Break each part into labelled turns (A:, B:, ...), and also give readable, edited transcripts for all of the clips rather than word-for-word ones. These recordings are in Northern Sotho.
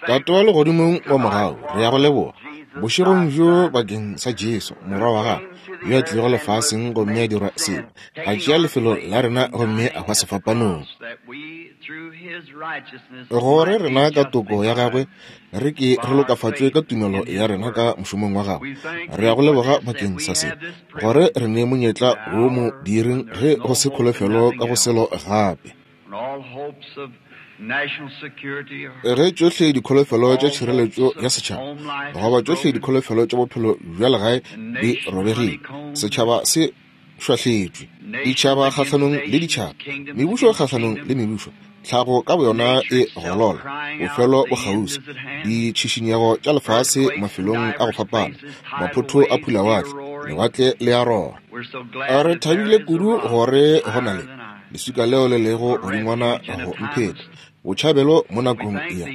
A: Tate wa Legodimong wa mogau, re ya go leboga bošegong bjo bakeng sa Jesu, Morwa wa Gago, yo a tlilego lefaseng gomme a dirwa sebe, a tšea lefelo la rena gomme a hwa sefapanong, gore rena ka toko ya gagwe re ke re lokafatšwe ka tumelo ya rena ka mošomong wa gagwe. Re ya go leboga bakeng sa se, gore re ne monyetla wo mo diiring ge go se kholofelo ka go selo gape. Ge tšohle dikholofelo tša tšhireletšo ya setšhaba goba tšohle dikholofelo tša bophelo bja legae di robegile, setšhaba se šwahletšwe, ditšhaba kgahlanong le ditšhaba, mebušo kgahlanong le mebušo, tlhago ka boyona e golola, bofelo bo kgauswi, ditšhišinyego tša lefase mafelong a go fapana, maphotho a phulawatle, lewatle le a rora. Re thabile kudu gore go na le leswika leo le lego godingwana go mpheta botšhabelo mo nakong ya.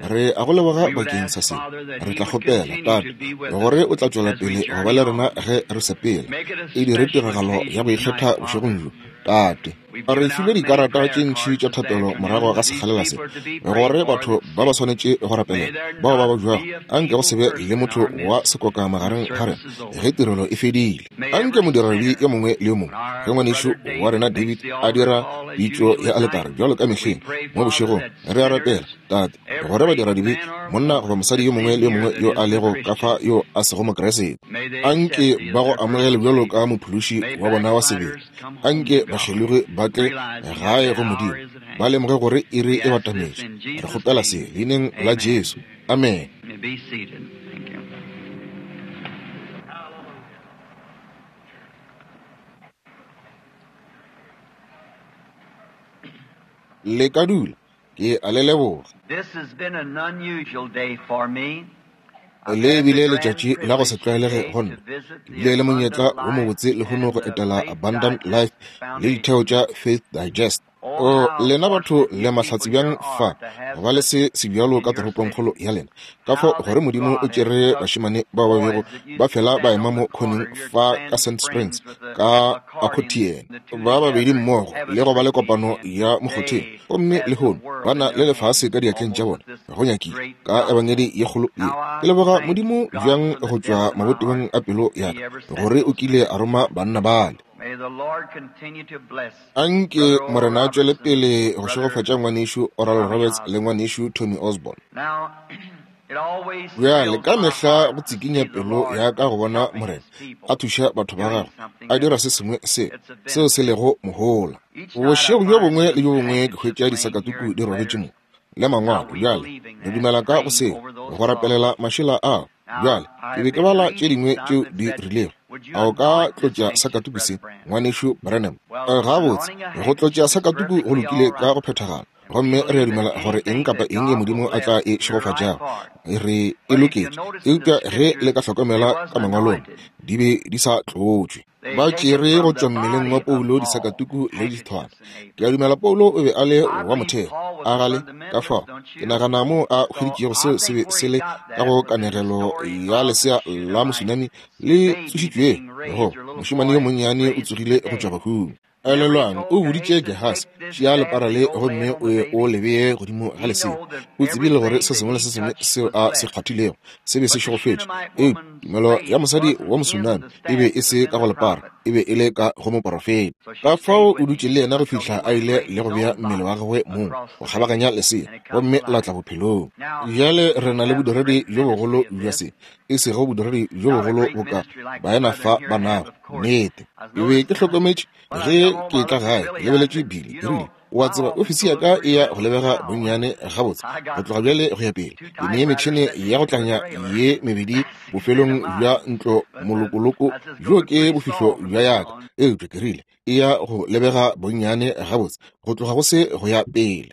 A: Re a go leboga bakeng sa se. Re tla kgopela, Tate, gore o tla tšwela pele go ba le rena ge re sepela. E dire tiragalo ya go ikgetha bošegong bjo, Tate. Re filwe dikarata tše ntši tša thapelo morago ga sekgalela se, gore batho ba ba swanetše go rapelela bao ba babjago. Anke go se be le motho wa sekoka magareng ga rena ge tirelo e fedile. Anke modiradibe yo mongwe le yo mongwe, ge ngwanešu wa rena David a dira pitšo ya aletare bjalo ka mehleng mo bošegong, re a rapela, Tate, gore badiradibe, monna goba mosadi yo mongwe le yo mongwe yo a lego ka fa yo a sego Mokriste, anke ba go amogele bjalo ka Mophološi wa bona wa sebele. Anke bakgelogi ba tle gae go Modimo, ba lemoge gore iri e batametše. Re kgopela se Leineng la Jesu. Amene. Le ka dula. Ke a le leboga. Le bile letšatši la go se tlwaelege go nna. Ke bile le monyetla wo mobotse lehono go etela Abundant Life le ditheo tša Faith Digest. O, lena batho le mahlatse bjang fa go ba le se sebjalo ka toropongkgolo ya lena. Ka fao gore Modimo o tšere bašemane bao ba bego ba fela ba ema mo khoneng fa ka Sand Springs ka Accordion, ba babedi mmogo le go ba le kopano ya mokgotheng, gomme lehono ba na le lefase ka diatleng tša bona go nyakile ka ebangedi ye kgolo ye. Ke leboga Modimo bjang go tšwa mabotebong a pelo ya ka gore o kile a roma banna bale. Anke Morena a tšwele pele go šegofatša Ngwanešu Oral Roberts le Ngwanešu Tommy Osborn. Bjale ka mehla go tsikinya pelo ya ka go bona Morena a thuša batho ba gagwe, a dira se sengwe se seo se lego mohola. Bošego bjo bongwe le bjo bongwe ke hwetša disakatuku di robetše mo, le mangwalo. Bjale re dumela ka go seo, go rapelela mašela ao. Bjale, ke be ke bala tše dingwe tšeo di rilego. A o ka tlotša sakatuku se, Ngwanešu Branham? Gabotse, go tlotša sakatuku go lokile ka go phethagala. Gomme re a dumela gore eng kapa eng ye Modimo a tla e šegofatšago, re e loketše. Eupša ge le ka hlokomela ka Mangwalong, di be di sa tlotšwe. Ba tšere go tšwa mmeleng wa Paulo disakatuku le dithwana. Ke a dumela Paulo o be a le wa motheo, a gale? Ka fao, ke nagana moo a hweditšego seo se be se le ka go kanegelo ya lesea la mosunami le tsošitšwego, go mošemane yo monnyane o tsogile go tšwa bahung. Elelwang, o boditše Gehasi, tšea lepara le gomme o ye o le bee godimo ga lesea. O tsebile gore se sengwe le se sengwe seo a se kgwathilego se be se šegofetše. Eupša tumelo ya mosadi wa Mosunami e be e se ka go lepara, e be e le ka go moporofeta. Ka fao o dutše le yena go fihla a ile le go bea mmele wa gagwe mong go kgabaganya lesea, gomme la tla bophelong. Bjale re na le bodiredi bjo bogolo bja se, e sego bodiredi bjo bogolo boka baena fa ba nago. Nnete. Ke be ke hlokometše ge ke etla gae, ke lebeletše Billy, ke rile, O a tseba, ofisi ya ka e ya go lebega bonnyane gabotse go tloga bjale go ya pele. Ke ne metšhene ya go tlanya ye mebedi bofelong bja ntlo molokoloko, bjo ke bofihlo bja ya ka. Eupša ke rile, E ya go lebega bonnyane gabotse go tloga go se go ya pele.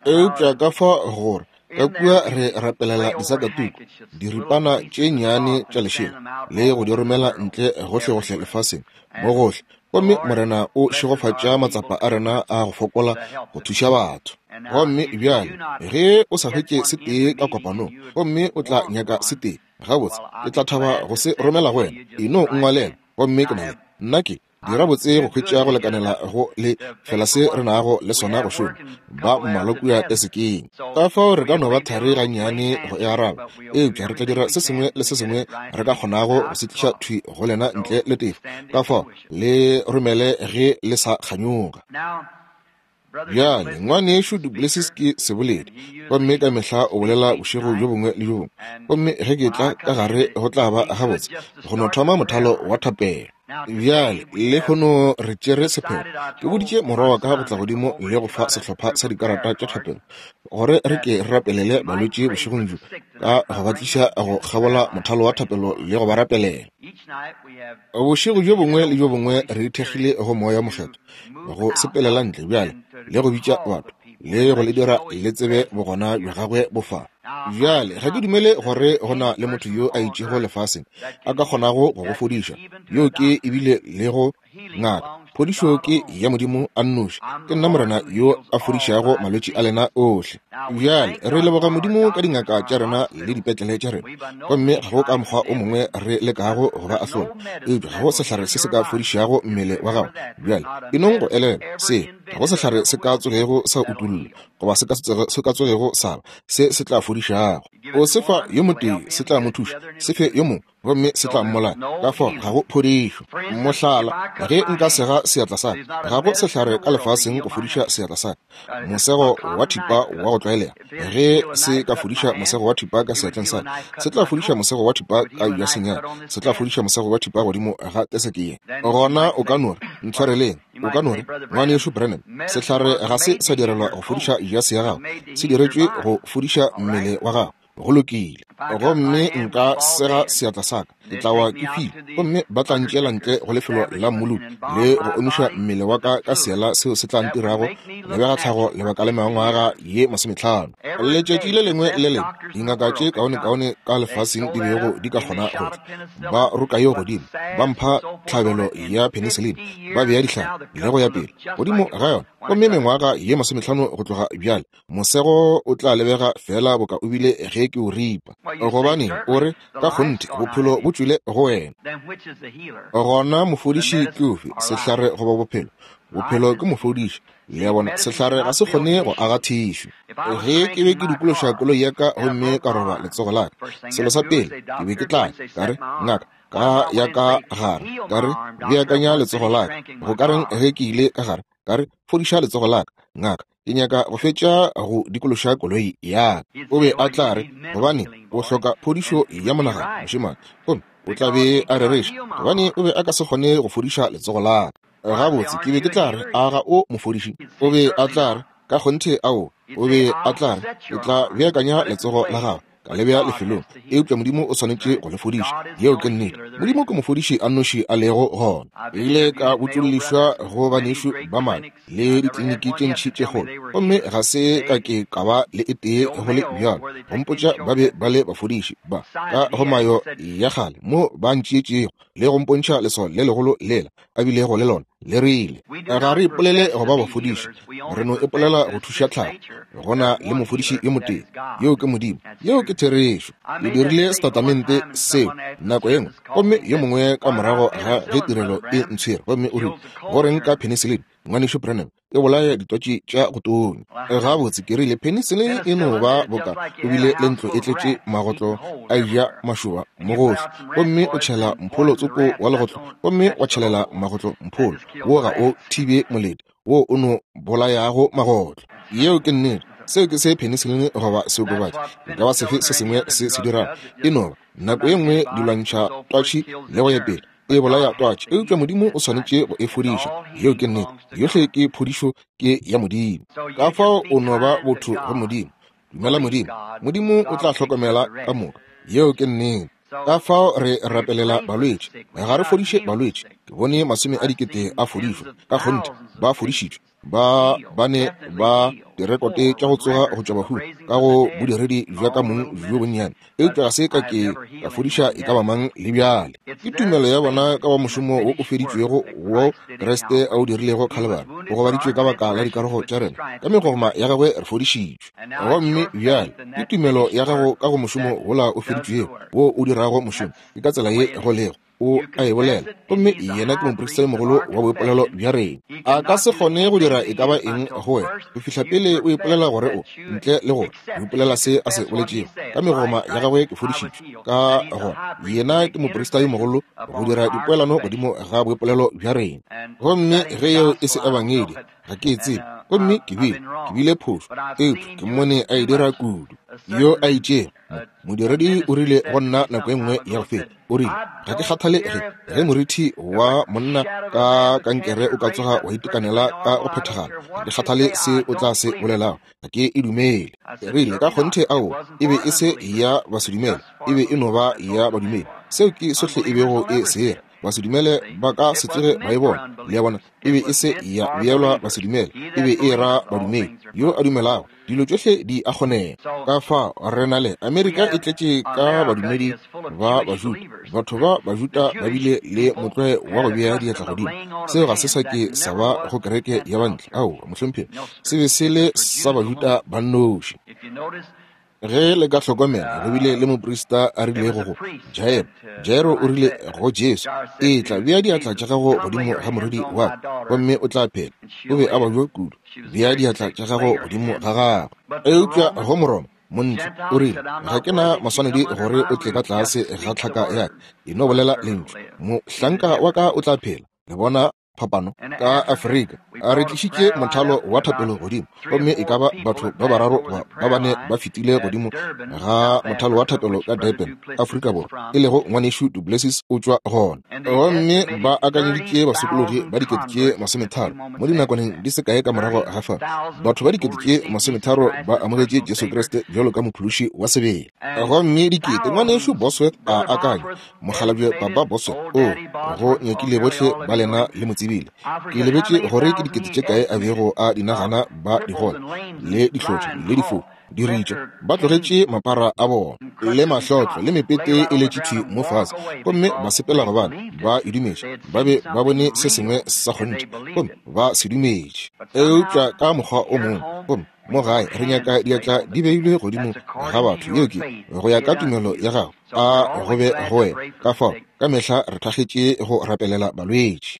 A: Eupša ka fa gore ka kua re rapelela disakatuku, diripana tše nnyane tša lešela, le go di romela ntle gohlegohle lefaseng, mo gohle. Gomme Morena o šegofatša matsapa a rena a go fokola go thuša batho. Gomme bjale, ge o sa hwetše se tee ka kopanong, gomme o tla nyaka se tee, gabotse, ke tla thaba go se romela go wena. E no nngwalela, gomme ke na le, nna ke. Dira botse go hwetša go lekanela go le fela se re nago le sona go šoma, ba mmalwa kua tesekeng. Ka fao re ka no ba thari gannyane go e araba, eupša re tla dira se sengwe le se sengwe re ka kgonago go se tliša thwi go lena ntle le tefo. Ka fao le romele ge le sa kganyoga. Bjale, Ngwanešu duPlessis ke seboledi, gomme ka mehla o bolela bošego bjo bongwe le bjo bongwe. Gomme ge ke tla ka gare go tla ba gabotse go no thoma mothalo wa thapelo. Bjale, lehono re tšere sephetho. Ke boditše morwa wa ka go tla godimo le go fa sehlopha sa dikarata tša thapelo, gore re ke re rapelele balwetši bošegong bjo, ka go ba tliša go kgabola mothalo wa thapelo le go ba rapelela. Bošego bjo bongwe le bjo bongwe re ithekgile go Moya wo Mokgethwa go sepelela ntle bjale le go bitša batho le go le dira le tsebe bogona bja gagwe bo fa. Bjale ga ke dumele gore go na le motho yo a itšego lefaseng a ka kgonago go go fodiša. Yo ke ebile le go ngaka. Phodišo ke ya Modimo a nnoši. Ke nna Morena yo a fodišago malwetši a lena ohle. Bjale re leboga Modimo ka dingaka tša rena le dipetlele tša rena, gomme ga go ka mokgwa o mongwe re lekago go ba ahlola, eupša ga go sehlare se se ka fodišago mmele wa gago. Bjale e nong go elelwa se, ga go sehlare se ka tsogego sa utollwa goba se ka tsogego sa ba se se tla fodišago. O se fa yo motee, se tla mo thuša, se fe yo mongwe, gomme se tla mmolaya. Ka fao ga go phodišo. Mohlala, ge nka sega seatla sa ka, ga go sehlare ka lefaseng go fodiša seatla sa ka. Mosego wa thipa wa go tlwaelega, ge se ka fodiša mosego wa thipa ka seatleng sa ka, se tla fodiša mosego wa thipa ka jwaseng ya ka, se tla fodiša mosego wa thipa godimo ga teseke ye. Gona o ka no re, Ntshwareleng. O ka no re, Ngwanešu Branham, sehlare ga se sa direlwa go fodiša jase ya gago, se diretšwe go fodiša mmele wa gago. Go lokile. Gomme nka sega seatla sa ka, ke tla wa ke hwile, gomme ba tla ntšeela ntle go lefelo la mmoloki le go omiša mmele wa ka ka seela seo se tla ntirago lebega tlhago lebaka le mengwaga ye 50. Letšatši le lengwe le lengwe dingaka tše kaonekaone ka lefaseng di bego di ka kgona go tla, ba roka yeo godimo, ba mpha tlhabelo ya penicillin, ba bea dihlare le go ya pele godimo ga yona, gomme mengwaga ye 50 go tloga bjale Mosego o tla lebega feela boka o bile ge ke o ripa. Gobaneng, o re, ka kgonthe, bophelo bo tšwile go wena. Gona mofodiši ke ofe, sehlare goba bophelo? Bophelo ke mofodiši. Le a bona, sehlare ga se kgone go aga thišu. Ge ke be ke dikološa koloi ya ka gomme ka roba letsogo la ka, selo sa pele ke be ke tla ka re, Ngaka, ka ya ka gare, ka re, beakanya letsogo la ka. Go ka reng ge ke ile ka gare, ka re, fodiša letsogo la ka, ngaka? Ke nyaka go fetša go dikološa koloi ya ka. O be a tla re, Gobane o hloka phodišo ya monagano, mošemane. Gomme o tla be a rereša, gobane o be a ka se kgone go fodiša letsogo la ka. Gabotse, ke be ke tla re, A ga o mofodiši? O be a tla re, Ka kgonthe, aowa. O be a tla re, Ke tla beakanya letsogo la gago, ka le bea lefelong, eupša Modimo o swanetše go le fodiša. Yeo ke nnete. Modimo ke mofodiši a nnoši a lego gona. Ke ile ka botšollišwa go banešu ba madi le dikliniki tše ntši tše kgolo, gomme ga se ka ke ka ba le e tee go le bjalo go mpotša ba be ba le bafodiši ba ka go mayo ya kgale mo ba ntšeetšego le go mpontšha leswao le legolo lela a bilego le lona le rile, Ga re ipolele go ba bafodiši, re no ipolela go thuša tlhago. Go na le mofodiši yo motee, yoo ke Modimo. Yeo ke therešo. Ke dirile setatamente seo nako ye nngwe, gomme yo mongwe ka morago ga ge tirelo e ntshwere, gomme o rile, Go reng ka penicillin, Ngwanešu Branham? E bolaya ditwatši tša go tonya. Gabotse, ke rile, penicillin e no ba boka o bile le ntlo e tletše magotlo a eja mašoba mo gohle, gomme o tšhela mpholo tsoko wa legotlo, gomme wa tšhelela magotlo mpholo. Wo ga o thibe molete, wo o no bolayago magotlo. Yeo ke nnete. Seo ke se penicillin goba seokobatši e ka ba sefe se sengwe se se dirago. E no ba, nako ye nngwe di lwantšha twatši le go ya pele, e bolaya twatši, eupša Modimo o swanetše go e fodiša. Yeo ke nnete. Yohle ke phodišo ke ya Modimo. Ka fao o no ba botho go Modimo. Dumela Modimo, Modimo o tla hlokomela ka moka. Yeo ke nnete. Ka fao re rapelela balwetši. Ga re fodiše balwetši. Ke bone masome a dikete a fodišwa. Ka kgonthe, ba fodišitšwe. Ba ba ne ba direkote tša go tsoga go tšwa bahung ka go bodiredi bja ka mong bjo bonnyane, eupša ga se ka ke ka fodiša e ka ba mang le bjale. Ke tumelo ya bona ka wa mošomo wo o feditšwego wo Kriste a o dirilego Khalibari. O gobaditšwe ka baka la dikarogo tša rena, ka megogoma ya gagwe re fodišitšwe. Gomme bjale ke tumelo ya gago ka go mošomo wola o feditšwego wo o dirago mošomo. Ke ka tsela ye go lego. O a e bolela. Gomme Yena ke Moprista yo Mogolo wa boipolelo bja rena. A ka se kgone go dira e ka ba eng go wena go fihla pele o ipolela gore o, ntle le gore o ipolela se A se boletšego. Ka megoma ya Gagwe ke fodišitšwe. Ka gona, Yena ke Moprista yo Mogolo go dira dipoelano godimo ga boipolelo bja rena. Gomme ge yeo e se Ebangedi, ga ke e tsebe. Gomme ke bile, ke bile phošo, eupša ke mmone a e dira kudu. Yo a itšego, mo, modiredi o rile go nna nako e nngwe ya go feta, o rile, Ga ke kgathale ge, ge morithi wa monna ka kankere o ka tsoga wa itekanela ka go phethagala, ga ke kgathale se o tla se bolelago, ga ke e dumele. Ke rile, Ka kgonthe aowa, e be e se ya basedumele, e be e no ba ya badumedi. Seo ke sohle e bego e se ra. Basedumele ba ka se tsoge ba e bona. Le a bona? E be e se ya beelwa basedumele, e be e ra badumedi. Yo a dumelago, dilo tšohle di a kgonega. Ka fao re na le Amerika e tletše ka badumedi ba Bajuda. Batho ba Bajuda ba bile le motlwae wa go bea diatla godimo. Seo ga se sa ke sa ba go kereke ya bantle. Aowa, mohlomphegi, se be se le sa Bajuda ba nnoši. Ge le ka hlokomela, go bile le moprista a rilego go Jairo. Jairo o rile go Jesu, Etla, bea diatla tša gago godimo ga morwedi wa ka, gomme o tla phela. O be a babja kudu. Bea diatla tša gago godimo ga gagwe. Eupša go Moroma, montle, o rile, Ga ke na maswanedi gore o tle ka tlase ga tlhaka ya ka. E no bolela lentšu, mohlanka wa ka o tla phela. Le bona phapano? Ka Afrika, a re tlišitše mothalo wa thapelo godimo, gomme e ka ba batho ba bararo goba ba bane ba fetile godimo ga mothalo wa thapelo ka Durban, Afrika Borwa, e lego Ngwanešu du Plessis o tšwa gona. Gomme ba akanyeditše basokologi ba 30,000 mo dinakwaneng di se kae ka morago ga fa. Batho ba 30,000 ba amogetše Jesu Kriste bjalo ka Mophološi wa sebele. Gomme dikete, Ngwanešu Bosworth a akanya, Mokgalabje Papa Boso, o go nyakile bohle ba lena le mo tsebile. Ke lebetše gore ke dikete tše kae a bego a di nagana ba digole, le dihlotlo, le difofu, diritša, ba tlogetše mapara a bona, le mahlotlo, le mepete e letše thwi mo fase, gomme ba sepela gobane ba e dumetše. Ba be ba bone se sengwe sa kgonthe, gomme ba se dumetše. Eupša ka mokgwa o mongwe, gomme mo gae re nyaka diatla di beilwe godimo ga batho, yeo ke go ya ka tumelo ya gago. A go be go wena. Ka fao, ka mehla re thakgetše go rapelela balwetši.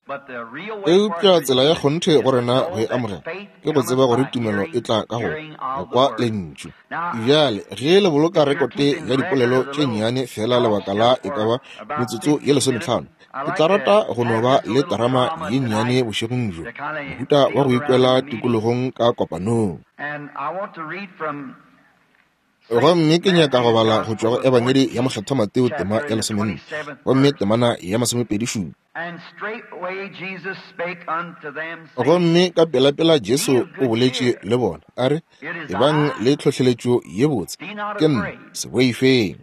A: Eupša tsela ya kgonthe go rena go e amogela ke go tseba gore tumelo e tla ka go go kwa Lentšu. Bjale, ge le boloka rekote ya dipolelo tše nnyane feela lebaka la e ka ba metsotso ye lesometlhano, ke tla rata go no ba le terama ye nnyane bošegong bjo, mohuta wa go ikwela tikologong ka kopanong. Gomme ke nyaka go bala go tšwa go Ebangedi ya Mokgethwa Mateo tema ya lesomenne, gomme temana ya masomepedi šupa. Gomme ka pelapela Jesu o boletše le bona, a re, Ebang le tlhohleletšo ye botse, ke nna, se boifeng.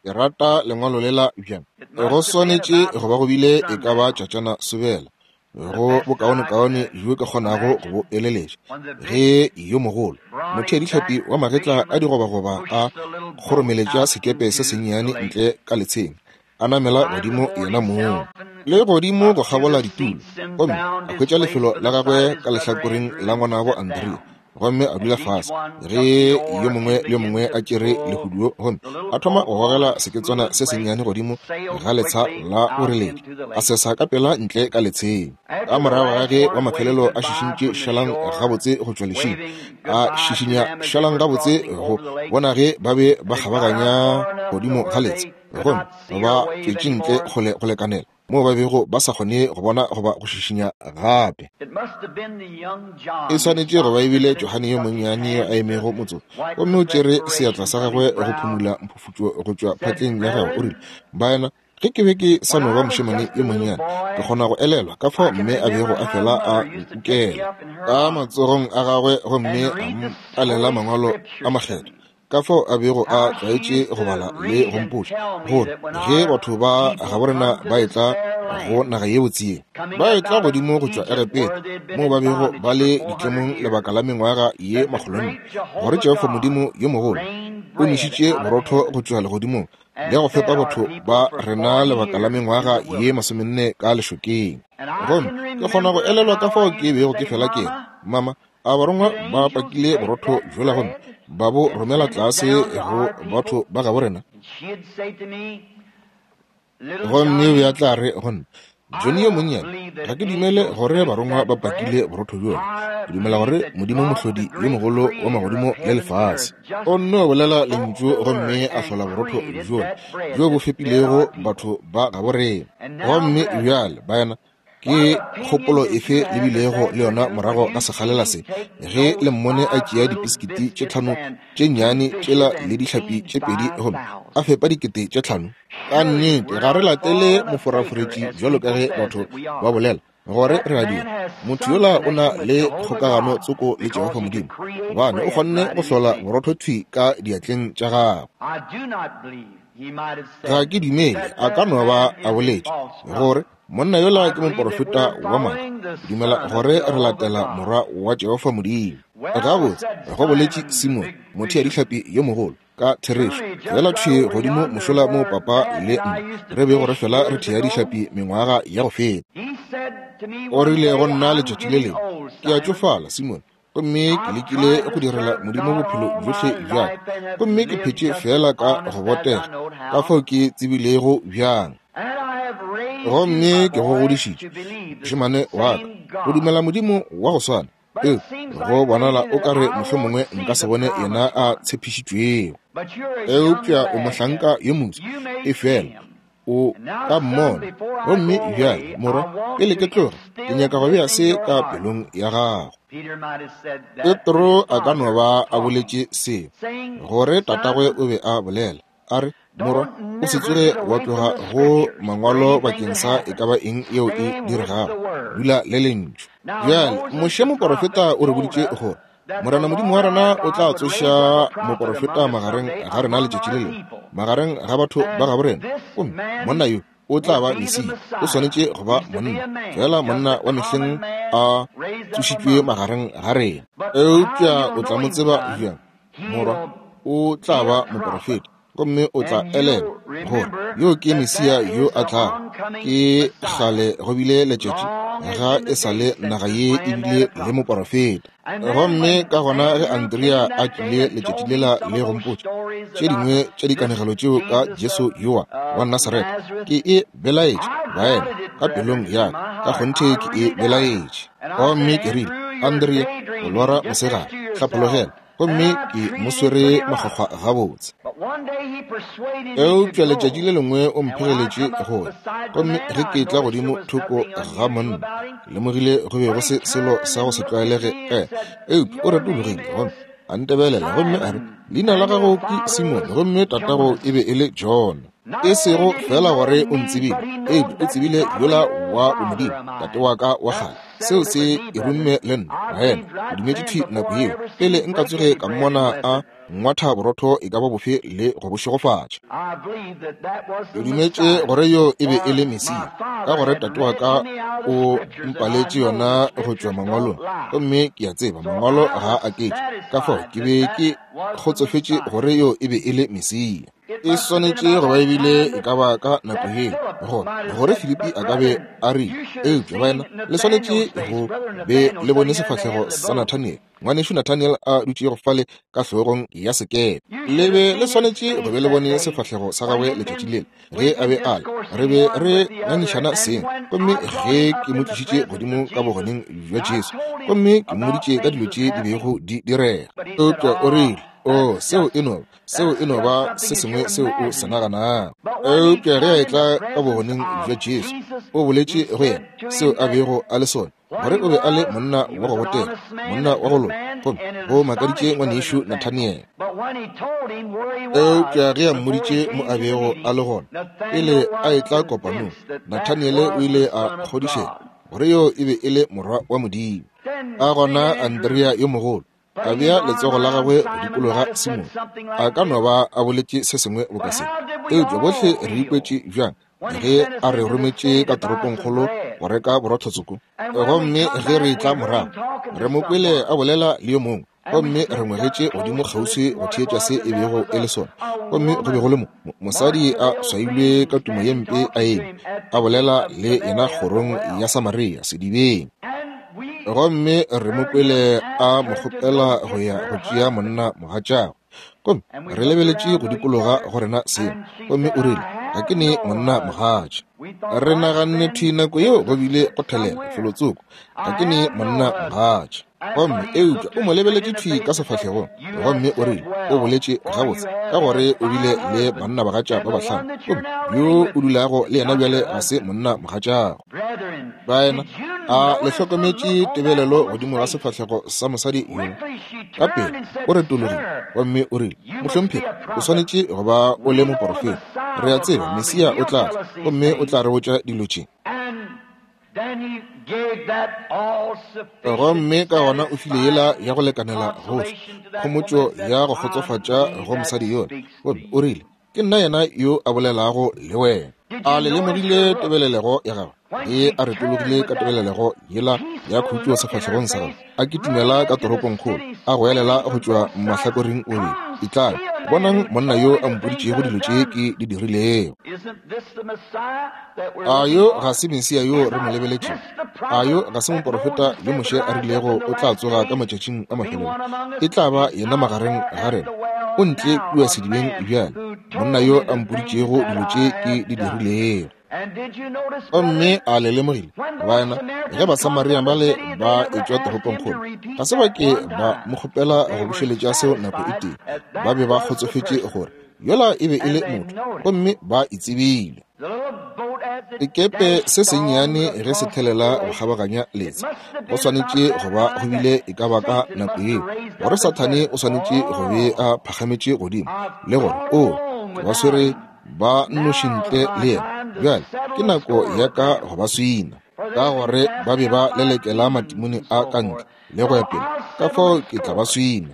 A: Ke rata lengwalo lela bjang. Go swanetše go ba go bile e ka ba tšatšana sobela, go bokaonekaone bjo ke kgonago go bo eleletša, ge yo mogolo, motheadihlapi wa magetla a digobagoba a kgoromeletša sekepe se sennyane ntle ka letsheng, a namela godimo yena mong, le godimo go kgabola ditulo, gomme a hwetša lefelo la gagwe ka lehlakoreng la ngwanabo Andrea, gomme a dula fase ge yo mongwe le yo mongwe a tšere lehuduo gomme a thoma go gogela seketswana se sennyane godimo ga letsha la boreledi, a sesa ka pela ntle ka letsheng. Ka morago ga ge wa mafelelo a šišintše šalang gabotse go tšwa lešing, a šišinya šalang gabotse go bona ge ba be ba kgabaganya godimo ga letsha gomme ba tšwetše ntle kgole go lekanela moo ba bego ba sa kgone go bona goba go šišinya gape. E swanetše go ba e bile Johane yo monnyane yo a emego motsotso, gomme o tšere seatla sa gagwe go phumula mphufutšo go tšwa phatleng ya gagwe, o rile, Baena, ge ke be ke sa no ba mošemane yo monnyane, ke kgona go elelwa ka fao mme a bego a fela a nkukela ka matsogong a gagwe gomme a mpalela mangwalo a makgethwa. Ka fao a bego a tlwaetše go bala le go mpotša gore ge batho ba gaborena ba etla go naga ye botse ye, ba etla godimo go tšwa Egepeta, moo ba bego ba le ditlemong lebaka la mengwaga ye makgolonne, gore Jehofa Modimo yo mogolo o nešitše borotho go tšwa legodimong le go fepa batho ba rena lebaka la mengwaga ye masomenne ka lešokeng. Gomme ke kgona go elelwa ka fao ke bego ke fela ke re, Mama, A barongwa ba pakile borotho bjola gomme ba bo romela tlase go batho ba gabo rena? Gomme o be a tla re go nna, Johnny yo monnyane, ga ke dumele gore barongwa ba pakile borotho bjola. Ke dumela gore Modimo Mohlodi yo mogolo wa magodimo le lefase o nno bolela lentšu gomme a hlola borotho bjola bjo bo fepilego batho ba gabo rena. Gomme bjale, baena, ke kgopolo efe le bilego le yona morago ga sekgalela se, ge le mmone a tšea dipisikiti tše tlhano tše nnyane tšela le dihlapi tše pedi gomme a fepa 5000? Ka nnete ga re latele moforaforetši bjalo ka ge batho ba bolela gore re a dira. Motho yola o na le kgokagano tsoko le Jehofa Modimo, gobane o kgonne go hlola borotho thwi ka diatleng tša gagwe. Ga ke dumele a ka no ba a boletše gore monna yola ke moporofeta wa maaka. Ke dumela gore re latela Morwa wa Jehofa Modimo. Gabotse, go boletše Simone, motheadihlapi yo mogolo, ka therešo, fela thwi godimo mošola moo papa le nna re bego re fela re thea dihlapi mengwaga ya go feta. O rile go nna letšatši le lengwe, Ke a tšofala, Simone, gomme ke lekile go direla Modimo bophelo bjohle bja ka, gomme ke phetše feela ka go botega ka fao ke tsebilego bjang. Gomme ke go godišitše, mošemane wa ka, go dumela Modimo wa go swana. Eupša go bonala o ka re mohlomongwe nka se bone yena a tshepišitšwego. Eupša o mohlanka yo moswa, efela o ka mmona. Gomme bjale, morwa, pele ke tloga, ke nyaka go bea se ka pelong ya gago. Petro a ka no ba a boletše seo, gore tatagwe o be a bolela, a re, Morwa, o se tsoge wa tloga go Mangwalo bakeng sa e ka ba eng yeo e diregago. Dula le Lentšu. Bjale, Moshe moporofeta o re boditše gore Morena Modimo wa rena o tla tsoša moporofeta magareng ga rena letšatši le lengwe, magareng ga batho ba gabo rena, gomme monna yo o tla ba Mesia. O swanetše go ba monna, feela monna wa mehleng a tsošitšwe magareng ga rena. Eupša o tla mo tseba bjang? Morwa, o tla ba moporofeta, gomme o tla elelwa gore yo ke Mesia yo a tlago. Ke kgale go bile letšatši ga e sa le naga ye e bile le moporofeta. Gomme ka gona ge Andrea a tlile letšatši lela le go mpotša tše dingwe tša dikanegelo tšeo ka Jesu yowa wa Nasaretha, ke e belaetše, baena, ka pelong ya ka, ka kgonthe ke e belaetše. Gomme ke rile, Andrea, o lora mosegare, hlaphologela. Gomme ke mo swere makgwakgwa gabotse. Eupša letšatši le lengwe o mphegeletše go ya, gomme ge ke tla godimo thoko ga monna, ke lemogile go be go se selo sa go se tlwaelege ka yena. Eupša o retologile gomme a ntebelela gomme a re, Leina la gago ke Simone, gomme tatago e be e le Jona. E sego feela gore o ntsebile, eupša o tsebile yola wa bomodimo, tate wa ka wa kgale. Seo se e rumme le nna, baena. Ke dumetše thwi nako yeo, pele nka tsoge ka mmona a ngwatha borotho e ka ba bofe le go bo šegofatša. Ke dumetše gore yo e be e le Mesia, ka gore tate wa ka o mpaletše yona go tšwa Mangwalong, gomme ke a tseba Mangwalo ga a aketše. Ka fao ke be ke kgotsofetše gore yo e be e le Mesia. E swanetše go ba ebile e ka ba ka nako yeo gore gore Filipi a ka be a rile, eupša baena le swanetše go be le bone sefahlego sa Nathaniel, ngwanešu Nathaniel a dutšego fale ka hlogong ya sekepe. Le be le swanetše go be le bone sefahlego sa gagwe letšatši lela ge a be a le, re be re ngangišana seng, gomme ge ke mo tlišitše godimo ka bogoneng bja Jesu, gomme ke mmoditše ka dilo tše di bego di direga. Eupša o rile, O, seo e no Seo e no ba se sengwe seo o se naganago. Eupša ge a etla ka bogoneng bja Jesu, o boletše go yena seo a bego a le sona, gore o be a le monna wa go botega, monna wa go loka, gomme go makaditše ngwanešu Nathaniel. Eupša ge a mmoditše mo a bego a le gona, pele a etla kopanong, Nathaniele o ile a kgodišega gore yo e be e le Morwa wa Modimo. Ka gona Andrea yo mogolo a bea letsogo la gagwe go dikologa Simone. A ka no ba a boletše se sengwe boka se, eupša bohle re ikwetše bjang ge a re rometše ka toropongkgolo go reka borotho tsoko? Gomme ge re etla morago, re mo kwele a bolela le yo mongwe, gomme re ngwegetše godimo kgauswi go theetša se e bego e le sona. Gomme go be go le mo mosadi a swailwe ka tumo ye mpe a eme, a bolela le yena kgorong ya Samaria sedibeng. Gomme re mo kwele a mo kgopela go ya go tšea monna mogatšagwe. Gomme re lebeletše go dikologa go rena seng, gomme o rile, Ga ke ne monna mogatša. Re naganne thwi nako yeo go bile go thelela felotsoko, Ga ke ne monna mogatša. Gomme eupša o mo lebeletše thwi ka sefahlegong, gomme o rile, O boletše gabotse, ka gore o bile le bannabagatša ba bahlano, gomme yo o dulago le yena bjale ga se monna mogatšago. Baena, a le hlokometše tebelelo godimo ga sefahlego sa mosadi yo? Ka pele o retologile gomme o rile, Mohlomphegi, o swanetše go ba o le moporofeta. Re a tseba Mesia o tla tla, gomme o tla re botša dilo tše. Gomme ka gona o file yela ya go lekanela gohle, khomotšo ya go kgotsofatša go mosadi yola, gomme o rile, Ke nna yena yo a bolelago le wena. A le lemogile tebelelego ya gagwe? Ge a retologile ka tebelelego yela ya khutšo sefahlegong sa gagwe, a kitimela ka toropongkgolo, a goelela go tšwa mahlakoreng obedi, Etlang, bonang monna yo a mpoditšego dilo tše ke di dirilego. A yo ga se Mesia yo re mo lebeletšego? A yo ga se moporofeta yo Moshe a rilego o tla tsoga ka matšatšing a mafelelo? E tla ba yena magareng ga rena. O ntle kua sedibeng bjale, monna yo a mpoditšego dilo tše ke di dirilego. Gomme a le lemogile, baena, ge Basamaria bale ba etšwa toropongkgolo, ga se ba ke ba mo kgopela go bušeletša seo nako e tee. Ba be ba kgotsofetše gore yola e be e le motho, gomme ba e tsebile. Sekepe se sennyane ge se thelela go kgabaganya letsha, go swanetše go ba go bile e ka ba ka nako yeo gore Sathane o swanetše go be a phagametše godimo le gore, O, ke ba swere ba nnoši ntle le yena. Bjale ke nako ya ka go ba swina, ka gore ba be ba lelekela matimone a ka ntle le go ya pele, ka fao ke tla ba swina.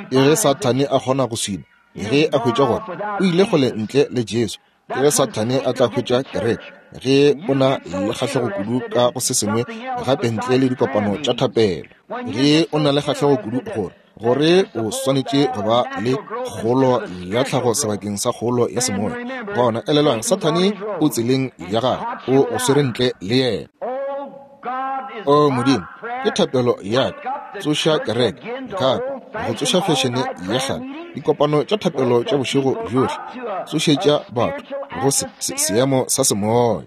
A: Ke ge Sathane a kgona go swina, ge a hwetša gore o ile kgole ntle le Jesu. Ke ge Sathane a tla hwetša kereke, ge o na le kgahlego kudu ka go se sengwe gape ntle le dikopano tša thapelo. Ge o na le kgahlego kudu gore gore o swanetše go ba le kgolo ya tlhago sebakeng sa kgolo ya semoya, gona elelwang, Sathane o tseleng ya gagwe, o go swere ntle le yena. O Modimo, ke thapelo ya ka, tsoša kereke gape, go tsoša fešene ya kgale, dikopano tša thapelo tša bošego bjohle, tsošetša batho go se, se, seemo sa semoya.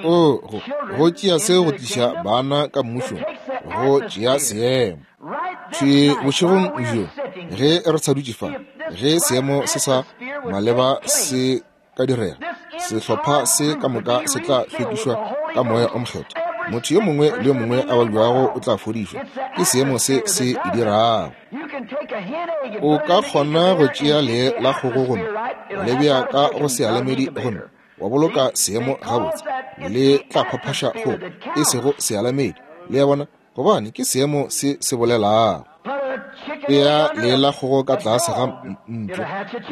A: O, go, go tšea se go tliša bana ka mmušong, go tšea seemo. Thwi bošegong bjo, ge re sa dutše fa, ge seemo se sa maleba se ka direga, sehlopha se ka moka se tla hlwekišwa ka Moya o Mokgethwa. Motho yo mongwe le yo mongwe a babjago o tla fodišwa. Ke seemo se se e dirago. O ka kgona go tšea lee la kgogo gomme wa le bea ka go sealamedi gomme wa boloka seemo gabotse, le tla phaphaša kgogo, e sego sealamedi. Le a bona? Gobane ke seemo se se bolelago. Bea lee la kgogo ka tlase ga ntlo,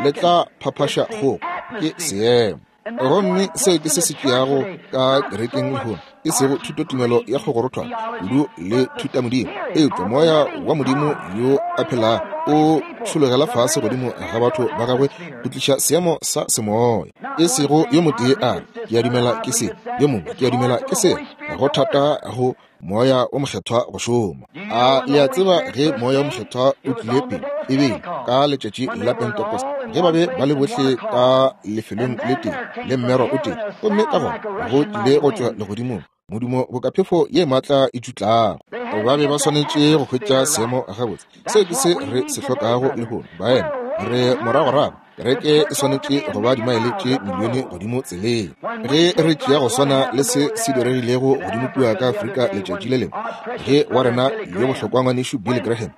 A: le tla phaphaša kgogo. Ke seemo. Gomme seo ke se se tšeago ka kerekeng lehono, e sego thutotumelo ya kgogorothwana kudu le thutamodimo, eupša Moya wa Modimo yo a phelago o tšhologela fase godimo ga batho ba gagwe go tliša seemo sa semoya. E sego yo motee a re, Ke a dumela ke se, yo mongwe, Ke a dumela ke sela. Go thata go Moya wo Mokgethwa go šoma. A le a tseba ge Moya wo Mokgethwa o tlile pele, e be ka letšatši la Pentecost, ge ba be ba le bohle ka lefelong le tee le mmero o tee, gomme ka gona go tlile go tšwa legodimong modumo boka phefo ye maatla e tšutlago. Ba be ba swanetše go hwetša seemo gabotse. Seo ke se re se hlokago lehono, baena. Re moragorago. Kereke e swanetše go ba dimaele tše milione godimo tseleng. Ge re tšea go swana le se se diregilego godimo kua ka Afrika letšatši le lengwe, ge wa rena yo bohlokwa ngwanešu Billy Graham,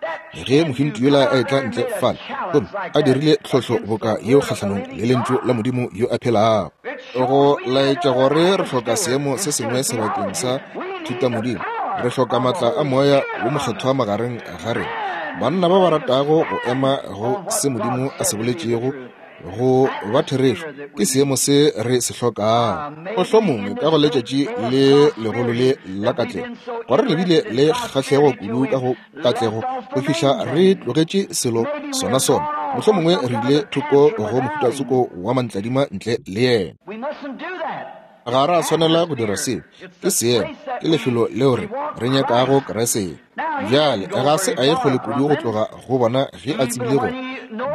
A: ge mohintu yola a etla ntle fale gomme a dirile tlhohlo boka yeo kgahlanong le Lentšu la Modimo yo a phelago, go laetša gore re hloka seemo se sengwe sebakeng sa thutamodimo. Re hloka maatla a Moya wo Mokgethwa magareng ga rena, banna ba ba ratago go ema go se Modimo a se boletšego go ba therešo. Ke seemo se re se hlokago. Mohlomongwe ka go letšatši le legolo le la katlego, gore re bile le kgahlego kudu ka go katlego go fihla re tlogetše selo sona sona. Mohlomongwe re ile thoko go mohutatsoko wa mantladima ntle le yena. Ga ra swanela go dira seo. Ke seemo, ke lefelo leo re, re nyakago Kriste. Bjale, ga se a ye kgole kudu go tloga go bona ge a tsebile gore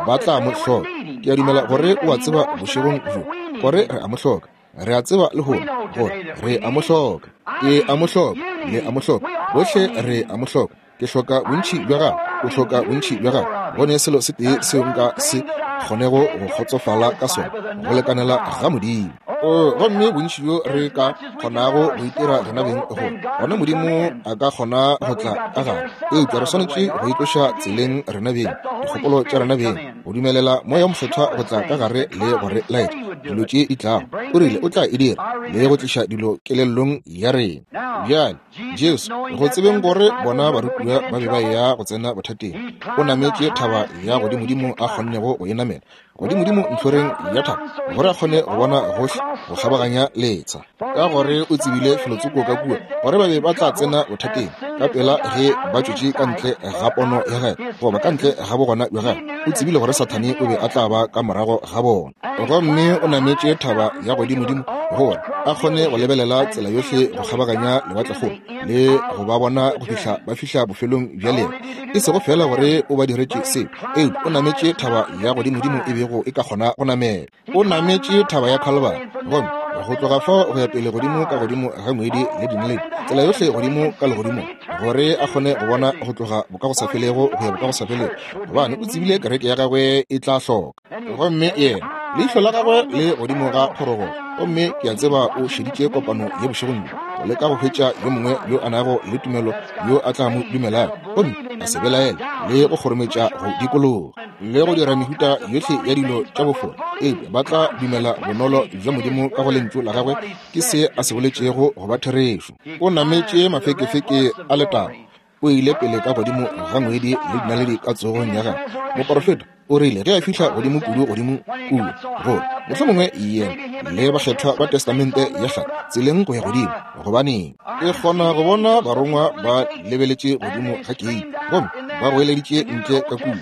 A: ba tla mo hloka. Ke a dumela gore o a tseba bošegong bjo gore re a mo hloka. Re a tseba lehono gore re a mo hloka. Ke a mo hloka, le a mo hloka, bohle re a mo hloka. Ke hloka bontši bja gago, o hloka bontši bja gago. Go ne selo se tee seo nka se kgonego go kgotsofala ka sona, go lekanela ga Modimo. O, gomme bontši bjo re ka kgonago go itira rena beng go, gona Modimo a ka kgona go tla ka gare. Eupša re swanetše go itloša tseleng rena beng, dikgopolo tša rena beng, go dumelela Moya wo Mokgethwa go tla ka gare le go re laetša dilo tše di tlago. O rile o tla e dira, le go tliša dilo kelellong ya rena. Bjale, Jesu, go tsebeng gore bona barutiwa ba be ba eya go tsena bothateng, o nametše thaba ya godimodimo a kgonnego go e namela, godimodimo ntlhoreng ya thaba, gore a kgone go bona gohle go kgabaganya letsha. Ka gore o tsebile felotsoko ka kua gore ba be ba tla tsena bothateng ka pela ge ba tšwetše ka ntle ga pono ya gagwe, goba ka ntle ga bogona bja gagwe. O tsebile gore Sathane o be a tla ba ka morago ga bona. Gomme o nametše thaba ya godimodimo gore a kgone go lebelela tsela yohle go kgabaganya lewatlekgolo le go ba bona go fihla ba fihla bofelong bja leeto. E sego feela gore o ba diretše seo, eupša o nametše thaba ya godimodimo e bego e ka kgona go namela. O nametše thaba ya Calvary, gomme go tloga fao go ya pele godimo ka godimo ga ngwedi le dinaledi, tsela yohle godimo ka legodimong, gore a kgone go bona go tloga bokagosafelego go ya bokagosafelego, gobane o tsebile kereke ya gagwe e tla hloka. Gomme yena, leihlo la gagwe le godimo ga phorogo, gomme ke a tseba o šeditše kopano ye bošegong bjo, go leka go hwetša yo mongwe yo a nago le tumelo yo a tla mo dumelago, gomme a se belaele le go kgorometša go dikologa le go dira mehuta yohle ya dilo tša bofora, eupša ba tla dumela bonolo bja Modimo ka go Lentšu la Gagwe ke se a se boletšego go ba therešo. O nametše mafekefeke a letago, o ile pele ka godimo ga ngwedi le dinaledi ka tsogong ya gagwe. Moporofeta o rile ge a fihla godimo kudu godimo kua, gore mohlomongwe yena le bakgethwa ba Testamente ya Kgale tseleng go ya godimo, gobaneng ke kgona go bona barongwa ba lebeletše godimo ga keiti gomme ba goeleditše ntle ka kua.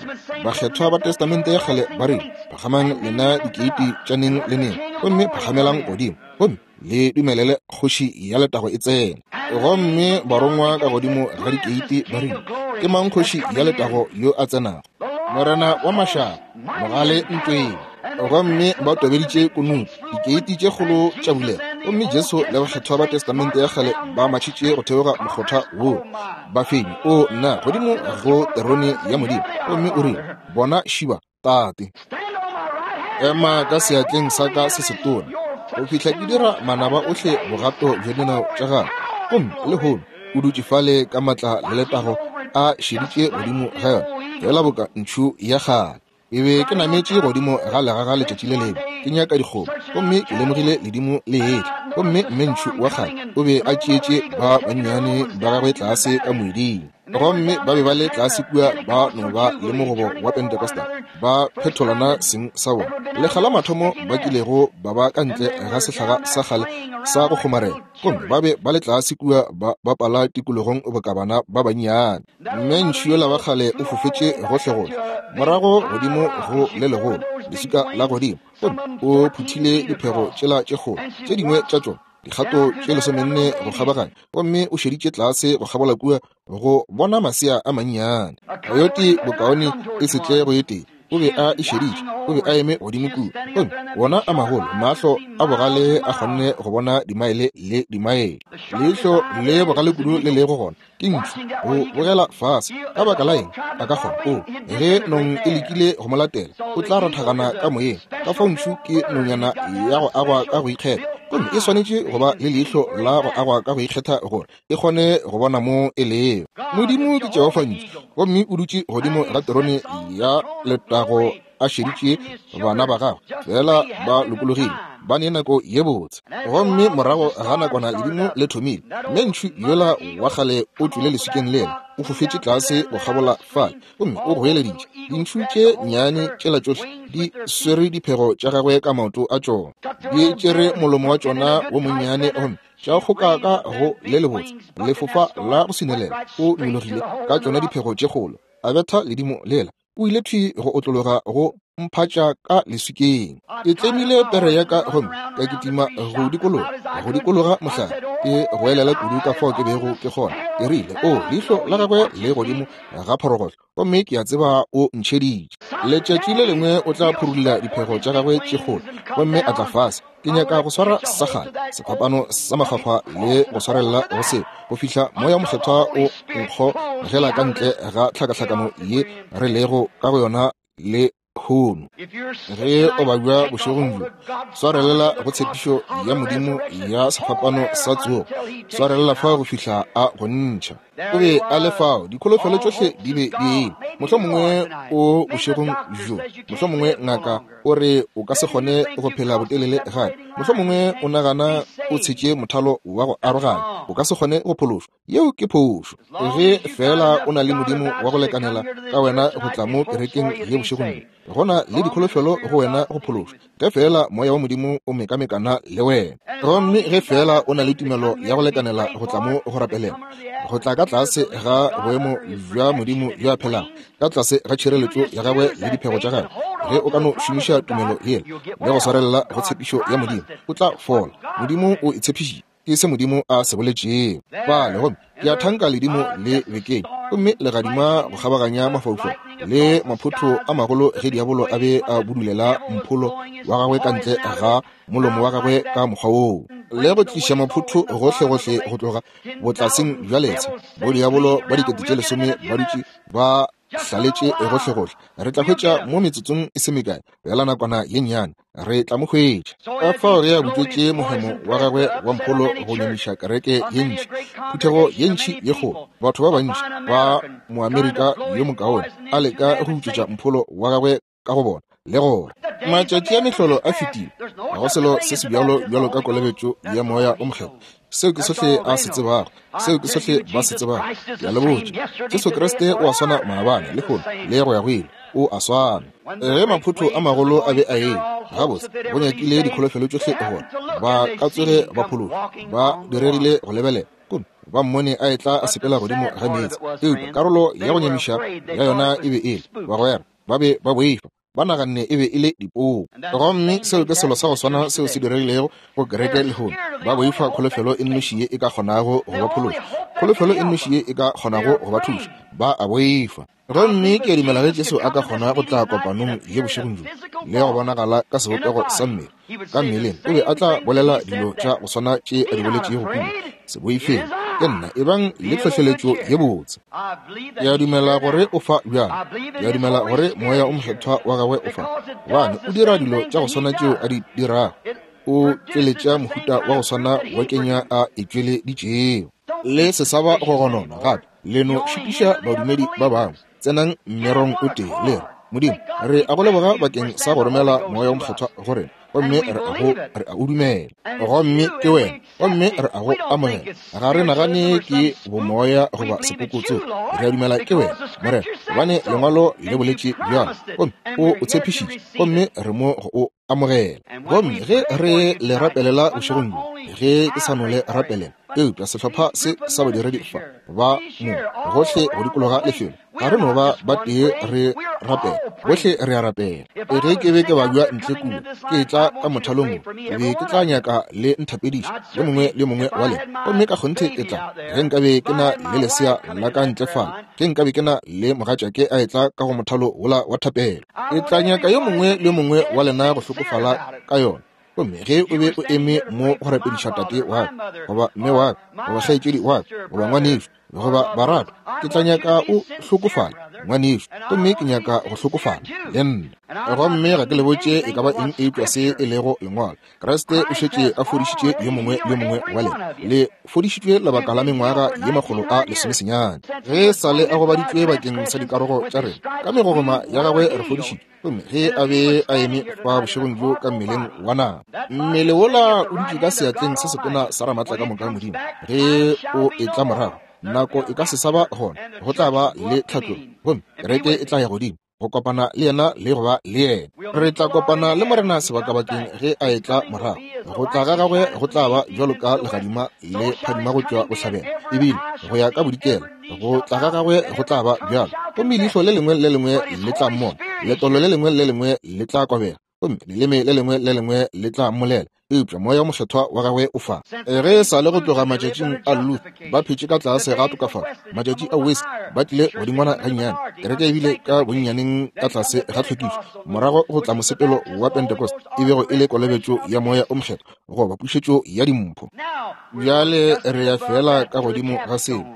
A: Bakgethwa ba Testamente ya Kgale ba rile, Phagamang lena dikeiti tša neng le neng, gomme phagamelang godimo, gomme le dumelele kgoši ya letago e tsene. Gomme barongwa ka godimo ga dikeiti ba rile, Ke mang kgoši ya letago yo a tsenago? Morena wa mašaba, mogale ntweng. Gomme ba tobeditše kunutu, dikeiti tše kgolo tša bulega, gomme Jesu le bakgethwa ba Testamente ya Kgale ba matšhitše go theoga mokgotha wo, ba fenyi, o nna, godimo go terone ya Modimo. Gomme o rile, Bona šiba, Tate. Ema ka seatleng sa ka se setona go fihla ke dira manaba ohle bogato bja dinao tša gago. Gomme lehono o dutše fale ka matla le letago a šeditše godimo ga yona feela boka ntšhu ya kgale. Ke be ke nametše godimo ga legaga letšatši le lengwe ke nyaka dikgomo, gomme ke lemogile ledimo le etla, gomme mme ntšhu wa kgale o be a tšeetše ba bannyane ba gagwe tlase ka moeding. Gomme ba be ba le tlase kua ba no ba le mogobo wa Pentecostal, ba phetolana seng sa bona. Lekga la mathomo ba kilego ba ba ka ntle ga sehlaga sa kgale sa go kgomarela, gomme ba be ba le tlase kua ba bapala tikologong boka bana ba bannyane. Mme ntšhu yola wa kgale o fofetše gohlegohle, morago godimo go le legolo, leswika la godimo, gomme o phuthile diphego tšela tše kgolo, tše dingwe tša tšona dikgato tše 14 go kgabaganya, gomme o šeditše tlase go kgabola kua go bona masea a mannyane. Coyote bokaone e se tle go e tee, o be a e šeditše, o be a eme godimo kua, gomme wona a magolo mahlo a bogale a kgonne go bona dimaele le dimaele. Leihlo le bogale kudu le lego gona ke ntšhu go bogela fase. Ka baka la eng a ka kgona? O, ge nong e lekile go mo latela, o tla rothagana ka moyeng. Ka fao ntšhu ke nonyana ya go agwa ka go ikgetha, gomme e swanetše go ba le leihlo la go agwa ka go ikgetha gore e kgone go bona mo e lego. Modimo ke Jehofa ntšhu, gomme o dutše godimo ga terone ya letago a šeditše bana ba gagwe fela ba lokologile, ba ne nako ye botse. Gomme morago ga nakwana ledimo le thomile, mme ntšhu yola wa kgale o tšwele leswikeng lela, o fofetše tlase go kgabola fale, gomme o goeleditše. Dintšhu tše nnyane tšela tšohle di swere diphego tša gagwe ka maoto a tšona, di tšere molomo wa tšona wo monnyane gomme tša kgoka ka go le lebotse lefofa la go swinelela. O nyologile ka tšona diphego tše kgolo, a betha ledimo lela. O ile thwi go otlologa go mphatša ka leswikeng. Ke tlemile pere ya ka gomme ka kitima go dikologa, go dikologa mohlare, ke goelela kudu ka fao ke bego ke kgona. Ke rile, O, leihlo la gagwe le godimo ga phorogohlo, gomme ke a tseba o ntšheditše. Letšatši le lengwe o tla phurulla diphego tša gagwe tše kgolo gomme a tla fase. Ke nyaka go swara sa kgale sefapano sa makgwakgwa le go swarelela go seo go fihla Moya Mokgethwa o nkgogela ka ntle ga tlhakahlakano ye re lego ka go yona le hono. Ge o babja bošegong bjo, swarelela go tshepišo ya Modimo ya sefapano sa tsogo, swarelela fao go fihla a go ntšha. O be a le fao, dikholofelo tšohle di be di eme. Mohlomongwe o bošegong bjo, mohlomongwe ngaka o re o ka se kgone go phela botelele gape. Mohlomongwe o nagana o tshetše mothalo wa go aroganya, o ka se kgone go phološwa. Yeo ke phošo. Ge feela o na le Modimo wa go lekanela ka wena go tla mo kerekeng ye bošegong bjo, go na le dikholofelo go wena go phološwa, ge feela Moya wa Modimo o mekamekana le wena. Gomme ge feela o na le tumelo ya go lekanela go tla mo go rapelela, go tla ka tlase ga boemo bja Modimo yo a phelago, ka tlase ga tšhireletšo ya gagwe le diphego tša gagwe, ge o ka no šomiša tumelo yela le go swarelela go tshepišo ya Modimo, o tla fola. Modimo o e tshepišitše. Ke se Modimo a se boletšego. Bale, gomme ke a thanka ledimo le bekeng, gomme legadima go kgabaganya mafaufau le maphotho a magolo ge diabolo a be a budulela mpholo wa gagwe ka ntle ga molomo wa gagwe ka mokgwa woo, le go tliša maphotho gohlegohle go tloga botlaseng bja letsha, bodiabolo ba 10,000 ba dutše ba hlaletše gohlegohle. Re tla hwetša mo metsotsong e se mekae, bjala nakwana ye nnyane, re tla mo hwetša. Ka fao ge a butšwetše mohemo wa gagwe wa mpholo go nyamiša kereke ye ntši, phuthego ye ntši ye kgolo, batho ba bantši ba Moamerika yo mokaone, a leka go butšwetša mpholo wa gagwe ka go bona, le gore matšatši a mehlolo a fetile, ga go selo se se bjalo bjalo ka kolobetšo ya Moya o Mokgethwa. Seo ke sohle a se tsebago, seo ke sohle ba se tsebago. Ke a le botša, Jesu Kriste o a swana maabane, lehono, le go ya go ile. O a swana. Ge maphotho a magolo a be a eme, gabotse go nyakile dikholofelo tšohle gore ba ka tsoge ba phološwa, ba diregile go lebelela gomme ba mmone a etla a sepela godimo ga meetse. Eupša karolo ya go nyamiša ya yona e be e le, bagwera ba be ba boifa, ba naganne e be e le dipoo. Gomme seo ke selo sa go swana seo se diregilego go kereke lehono. Ba boifa kholofelo e nnoši ye e ka kgonago go ba phološa, kholofelo e nnoši ye e ka kgonago go ba thuša. Ba a boifa. Gomme ke a dumela ge Jesu a ka kgona go tla kopanong ye bošegong bjo le go bonagala ka sebopego sa mmele, ka mmeleng, o be a tla bolela dilo tša go swana tše a di boletšego kua. Se boifeng, ke nna, ebang le tlhohleletšo ye botse. Ke a dumela gore o fa bjale. Ke a dumela gore Moya o Mokgethwa wa gagwe o fa, gobane o dira dilo tša go swana tšeo a di dirago. O tšweletša mohuta wa go swana wa kenya a e tšweleditšego. Le se sa ba go gonona gape. Le no šitiša badumedi ba bangwe. Tsenang mmerong o tee, le re, Modimo, re a go leboga bakeng sa go romela Moya wo Mokgethwa go rena, gomme re a go, re a o dumela. Gomme ke wena, gomme re a go amogela. Ga re nagane ke bomoya goba sepokotso. Re a dumela ke wena, Morena, gobane Lengwalo le boletše bjalo, gomme o o tshepišitše, gomme re mo go o amogela. Gomme ge re le rapelela bošegong bjo, ge ke sa no le rapelela, eupša sehlopha se sa badiredi fa ba mo gohle go dikologa lefelo, ga re no ba ba tee re rapela, bohle re a rapela. Ge ke be ke babja ntle kua, ke etla ka mothalong wo, ke be ke tla nyaka le nthapediša, yo mongwe le yo mongwe wa lena. Gomme ka kgonthe ke tla, ge nkabe ke na le lesea la ka ntle fale, ge nkabe ke na le mogatšake a etla ka go mothalo wola wa thapelo, ke tla nyaka yo mongwe le yo mongwe wa lena go hlokofala ka yona. Gomme ge o be o eme mo go rapediša tate wa ka, goba mme wa ka, goba kgaetšedi wa ka, goba ngwanešu, goba baratwa, ke tla nyaka o hlokofala, ngwanešu, gomme ke nyaka go hlokofala le nna. Gomme ga ke le botše e ka ba eng eupša se e lego Lengwalo. Kriste o šetše a fodišitše yo mongwe le yo mongwe wa lena. Le fodišitšwe lebaka la mengwaga ye 119. Ge sa le a gobaditšwe bakeng sa dikarogo tša rena, ka megogoma ya gagwe re fodišitšwe. Gomme ge a be a eme fa bošegong bjo ka mmeleng wa nama, mmele wola o dutše ka seatleng se setona sa Ramatlakamoka Modimo, ge o etla morago, nako e ka se sa ba gona, go tla ba le tlhatlogo, gomme kereke e tla ya godimo go kopana le yena le go ba le yena. Re tla kopana le Morena sebakabakeng ge a etla morago. Go tla ga gagwe go tla ba bjalo ka legadima le phadima go tšwa bohlabela, ebile go ya ka bodikela. Go tla ga gagwe go tla ba bjalo, gomme leihlo le lengwe le lengwe le tla mmona, letolo le lengwe le lengwe le tla kobega, gomme leleme le lengwe le lengwe le tla mmolela. Eupša Moya wo Mokgethwa wa gagwe o fa. Ge e sa le go tloga matšatšing a Luther, ba phetše ka tlase ga tokafalo. Matšatši a Wesley ba tlile godingwana gannyane. Kereke e bile ka bonnyaneng ka tlase ga tlhwekišo. Morago go tla mosepelo wa Pentecost, e bego e le kolobetšo ya Moya o Mokgethwa, goba pušetšo ya dimpho. Bjale re ya feela ka godimo ga seo,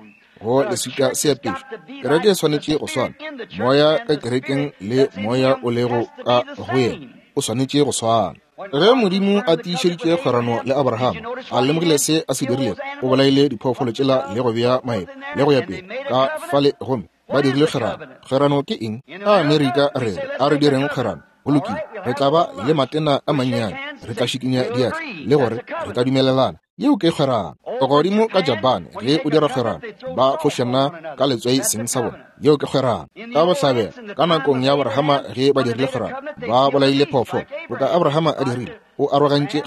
A: go leswika seapešo. Kereke e swanetše go swana. Moya ka kerekeng le Moya o lego ka go yena o swanetše go swana. Ge Modimo a tiišeditše kgwerano le Abraham, a lemogile se a se dirilego, o bolaile diphoofolo tšela le go bea maeba le go ya pele ka fale, gomme ba dirile kgwerano. Kgwerano ke eng? Ka Amerika re re, a re direng kgwerano. Go lokile, re tla ba le matena a mannyane, re tla šikinya diatla le gore re tla dumelelana. Yeo ke kgwerano. Godimo ka Japane, ge o dira kgwerano, ba fošana ka letswai seng sa bona. Yeo ke kgwerano. Ka bohlabela, ka nakong ya Abrahama ge ba dirile kgwerano, ba bolaile phoofolo, boka Abrahama a dirile, o arogantše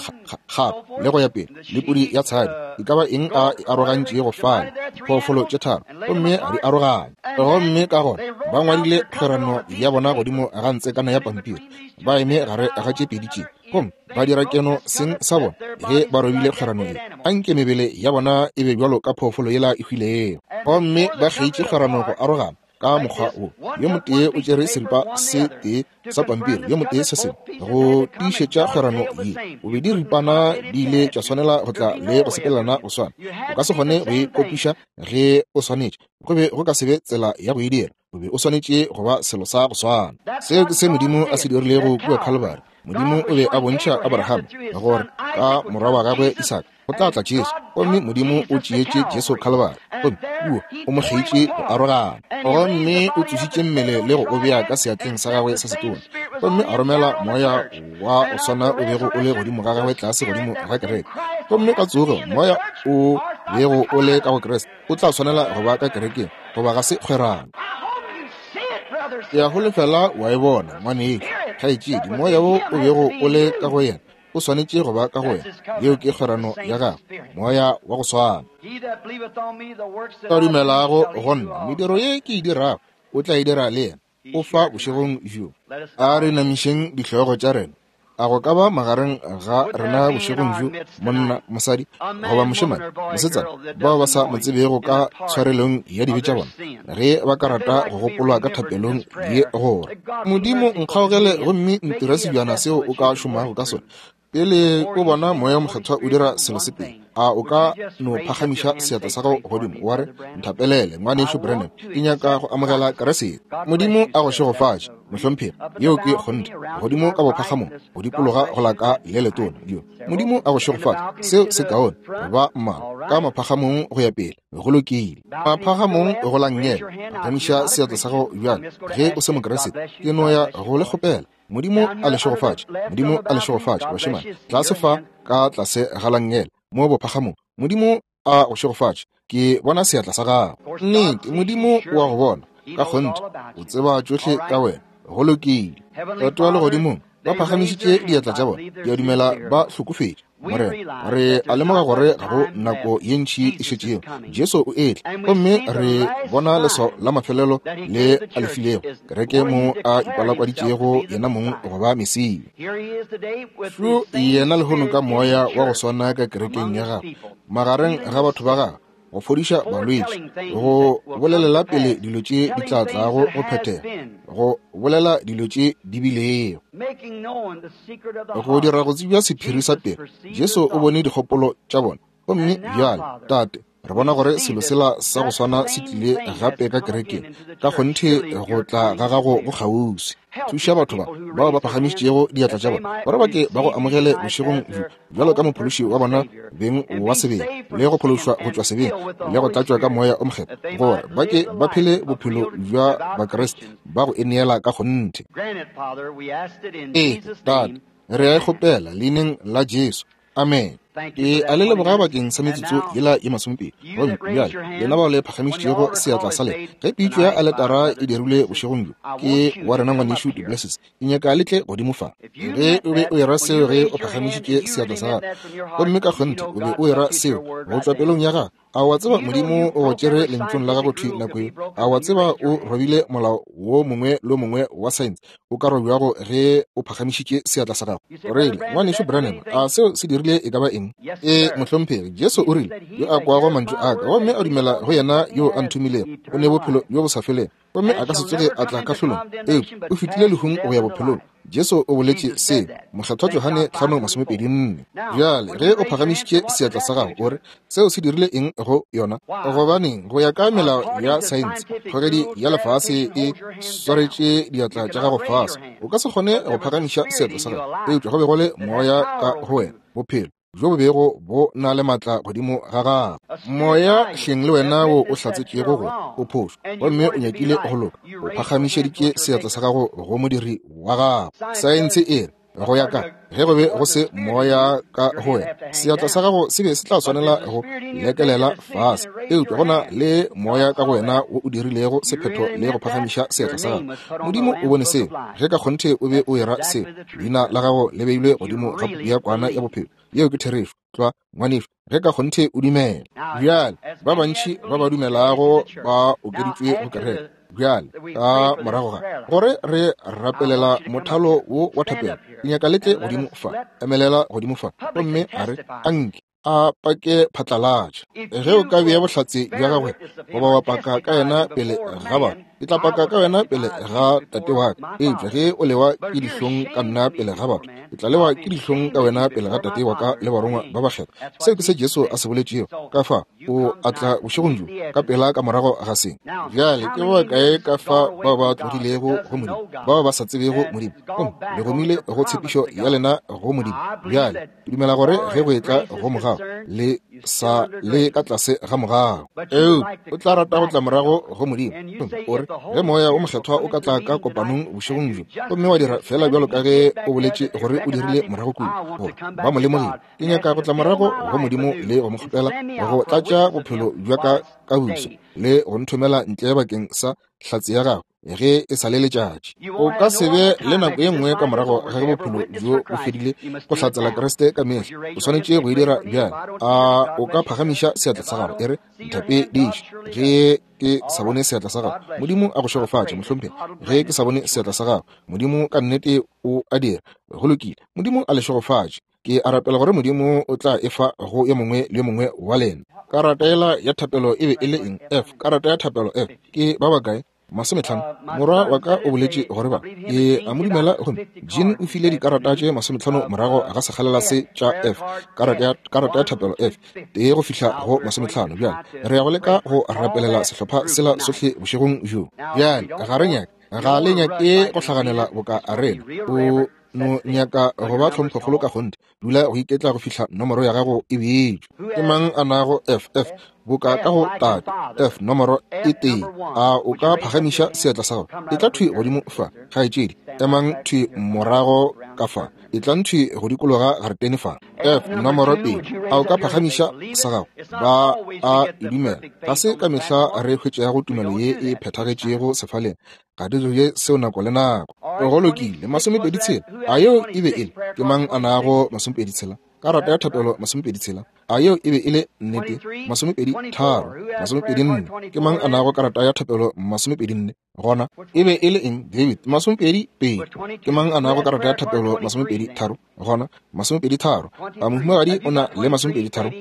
A: gape le go ya pele, le pudi ya tshadi, e ka ba eng a e arogantšego fale, phoofolo tše tharo, gomme a di aroganya. Gomme ka gona ba ngwadile kgwerano ya bona godimo ga ntsekana ya pampiri, ba eme gare ga tše pedi tše, gomme ba dira keno seng sa bona ge ba robile kgwerano ye. Anke mebele ya bona e be bjalo ka phoofolo yela e hwilego. Gomme ba kgeitše kgwerano go arogana ka mokgwa wo, yo motee o tšere seripa se tee sa pampiri, yo motee se sengwe, go tiišetša kgwerano ye. Bobedi ripana di ile tša swanela go tla le go sepelelana go swana. O ka se kgone go e kopiša ge o swanetše, go be go ka se be tsela ya go e dira. O be o swanetše go ba selo sa go swana. Seo ke se Modimo a se dirilego kua Calvary. Modimo o be a bontšha Abraham gore ka morwa wa gagwe Isaka go tla tla Jesu, gomme Modimo o tšeetše Jesu Calvary, gomme kua o mo kgeitše go arogana, gomme o tsošitše mmele le go o bea ka seatleng sa gagwe sa setona, gomme a romela moya wa go swana o bego o le godimo ga gagwe tlase godimo ga kereke, gomme ka tsogo moya o bego o le ka go Kriste o tla swanela go ba ka kerekeng, goba ga se kgwerano. Ke a holofela wa e bona, ngwanešu, kgaetšedi, moya wo o bego o le ka go yena o swanetše go ba ka go wena. Yeo ke kgwerano ya gagwe, moya wa go swana. Ka dumelago go nna, mediro ye ke e dirago o tla e dira le yena. O fa bošegong bjo. A re namišeng dihlogo tša rena. A go ka ba magareng ga rena bošegong bjo monna, mosadi, goba mošemane, mosetsana, bao ba sa mo tsebego ka tshwarelong ya dibe tša bona, ge ba ka rata go gopolwa ka thapelong ye gore, Modimo, nkgaogele gomme ntire sebjana seo o ka šomago ka sona, pele o bona Moya wo Mokgethwa o dira selo se pele, a o ka no phagamiša seatla sa gago godimo wa re, Nthapelele, Ngwanešu Branham, ke nyaka go amogela Keresete. Modimo a go šegofatše, mohlomphegi. Yeo ke kgonthe. Godimo ka bophagamong, go dikologa go la ka le letona. Yo. Modimo a go šegofatše. Seo se kaone. Ba mmalwa ka maphagamong go ya pele. Go lokile. Maphagamong go la nngele. Phagamiša seatla sa gago bjale. Ge o se Mokeresete, ke no ya go le kgopela. Modimo a le šegofatše. Modimo a le šegofatše, bašemane. Tlase fa ka tlase ga langele, mo bophagamong. Modimo a go šegofatše. Ke bona seatla sa gago. Nnete, Modimo o a go bona. Ka kgonthe, o tseba tšohle ka wena. Go lokile. Tate wa Legodimong, ba phagamišitše diatla tša bona. Ke a dumela ba hlokofetše. Morena, re a lemoga gore ga go nako ye ntši e šetšego. Jesu o etla, gomme re bona leswao la mafelelo le a le filego kereke mo a ipalakwaditšego yena mong go ba Mesia. Šo yena lehono ka moya wa go swana ka kerekeng ya gagwe, magareng ga batho ba gagwe, go fodiša balwetši, go bolelela pele dilo tše di tla tlago go phethega, go bolela dilo tše di bilego, go dira go tsebja sephiri sa pelo. Jesu o bone dikgopolo tša bona. Gomme bjale, Tate, re bona gore selo sela sa go swana se tlile gape ka kerekeng. Ka kgonthe go tla ga gago go kgauswi. Thuša batho ba bao ba phagamišitšego diatla tša bona gore ba ke ba go amogele bošegong bjo bjalo ka mophološi wa bona beng wa sebele, le go phološwa go tšwa sebeng le go tlatšwa ka Moya o Mokgethwa, gore ba ke ba phele bophelo bja Bakriste ba go ineela ka kgonthe. Ee, Tate, re a e kgopela Leineng la Jesu. Amen. Ke a le leboga bakeng sa metsotso yela ye masomepedi. Gomme bjale, lena bao le phagamišitšego seatla sa lena, ge pitšo ya aletara e dirilwe bošegong bjo ke wa rena Ngwanešu duPlessis, ke nyaka le tle godimo fa. Ge o be o era seo ge o phagamišitše seatla sa gago, gomme ka kgonthe o be o era seo go tšwa pelong ya gago, A wa tseba Modimo o go tšere lentšong la gago thwi nako ye? A wa tseba o robile molao wo mongwe le mongwe wa saense o ka robjago ge o phagamišitše seatla sa gago? O rile, Ngwanešu Branham, a seo se dirile e ka ba eng? Ee, mohlomphegi. Jesu o rile, Yo a kwago mantšu a ka gomme a dumela go yena yo a nthomilego, o ne bophelo bjo bo sa felego, gomme a ka se tsoge a tla kahlolong, eupša o fetile lehung go ya bophelong. Jesu o boletše se, Mokgethwa Johane 5:24. Bjale, ge o phagamišitše seatla sa gago, o re, Seo se dirile eng go yona? Gobaneng, go ya ka melao ya saense, kgogedi ya lefase e swaretše diatla tša gago fase. O ka se kgone go phagamiša seatla sa gago, eupša go be go le moya ka go wena, bophelo bjo bo bego bo na le maatla godimo ga gago. Moya hleng le wena wo o hlatsetšego gore o phošo gomme o nyakile go loka, o phagamišeditše seatla sa gago go modiri wa gago. Saense e re, go ya ka ge go be go se moya ka go wena, seatla sa gago se be se tla swanela go lekelela fase, eupša go na le moya ka go wena wo o dirilego sephetho le go phagamiša seatla sa gago. Modimo o bone seo. Ge ka kgonthe o be o era seo, leina la gago le beilwe godimo ga puku ya kwana ya bophelo. Yeo ke therešo tlwa, ngwanešu, ge ka kgonthe o dumela. Bjale, ba bantši ba ba dumelago ba okeditšwe go kereke. Bjale, ka morago ga gore re rapelela mothalo wo wa thapelo, ke nyaka le tle godimo fa, emelela godimo fa, gomme a re, Anke a pake phatlalatša. Ge o ka bea bohlatse bja gagwe goba wa paka ka yena pele ga batho, ke tla paka ka wena pele ga Tate wa ka. Eupša ge o lewa ke dihlong ka nna pele ga batho, ke tla lewa ke dihlong ka wena pele ga Tate wa ka le barongwa ba bakgethwa. Seo ke se Jesu a se boletšego. Ka fa o a tla bošegong bjo, ka pela ka morago ga se. Bjale ke ba bakae ka fa bao ba tlogilego go Modimo, bao ba sa tsebego Modimo, gomme le gomile go tshepišo ya lena go Modimo? Bjale Ke dumela gore ge go etla go mogau, le sa le ka tlase ga mogau. Eupša o tla rata go tla morago go Modimo. O re, ge Moya wo Mokgethwa o ka tla ka kopanong bošegong bjo, gomme wa dira feela bjalo ka ge o boletše gore o dirile morago kua, gore ba mo lemogile. Ke nyaka go tla morago go Modimo le go mo kgopela go tlatša bophelo bja ka ka boso le go nthomela ntle bakeng sa hlatse ya gagwe. ge e sa le letšatši. O ka se be le nako ye nngwe ka morago ga ge bophelo bjo bo fedile go hlatsela Kriste ka mehla. O swanetše go e dira bjale. A o ka phagamiša seatla sa gago e re, Nthapediše ge ke sa bone seatla sa gago. Modimo a go šegofatše, mohlomphegi. Ge ke sa bone seatla sa gago, Modimo ka nnete o a dira. Go lokile. Modimo a le šegofatše. Ke a rapela gore Modimo o tla e fa go yo mongwe le yo mongwe wa lena. Karata yela ya thapelo e be e le eng? F. Karata ya thapelo F. Ke ba bakae? Masometlhano. Morwa wa ka o boletše gore ba. Ke a mo dumela gomme Jean o file dikarata tše masometlhano morago ga sekgalela se tša F. Karata ya, karata ya thapelo F. Tee go fihla go masometlhano. Bjale re ya go leka go rapelela sehlopha sela sohle bošegong bjo. Bjale ga re nyake, ga le nyake go hlaganela boka rena. O no nyaka go ba tlhomphokgolo ka kgonthe, dula go iketla go fihla nomoro ya gago e beetšwe. Ke mang a nago F, F, boka ka go tate, F nomoro e tee? A o ka phagamiša seatla sa gago? Etla thwi godimo fa, kgaetšedi. Emang thwi morago ka fa. Etlang thwi go dikologa garetene fa. F nomoro pedi. A o ka phagamiša sa gago? Ba a e dumela. Ga se ka mehla re hwetšago tumelo ye e phethagetšego sefaleng. Ga di dire seo nako le nako. Go lokile, masomepedi tshela. A yeo e be e le? Ke mang a nago masomepedi tshela? Karata ya thapelo masomepedi tshela. A yeo e be e le nnete? Masomepedi tharo, masomepedi nne. Ke mang a nago karata ya thapelo masomepedi nne? Gona e be e le eng, David? Masomepedi pedi. Ke mang a nago karata ya thapelo masomepedi tharo? Gona masomepedi tharo. A mohumagadi o na le masomepedi tharo?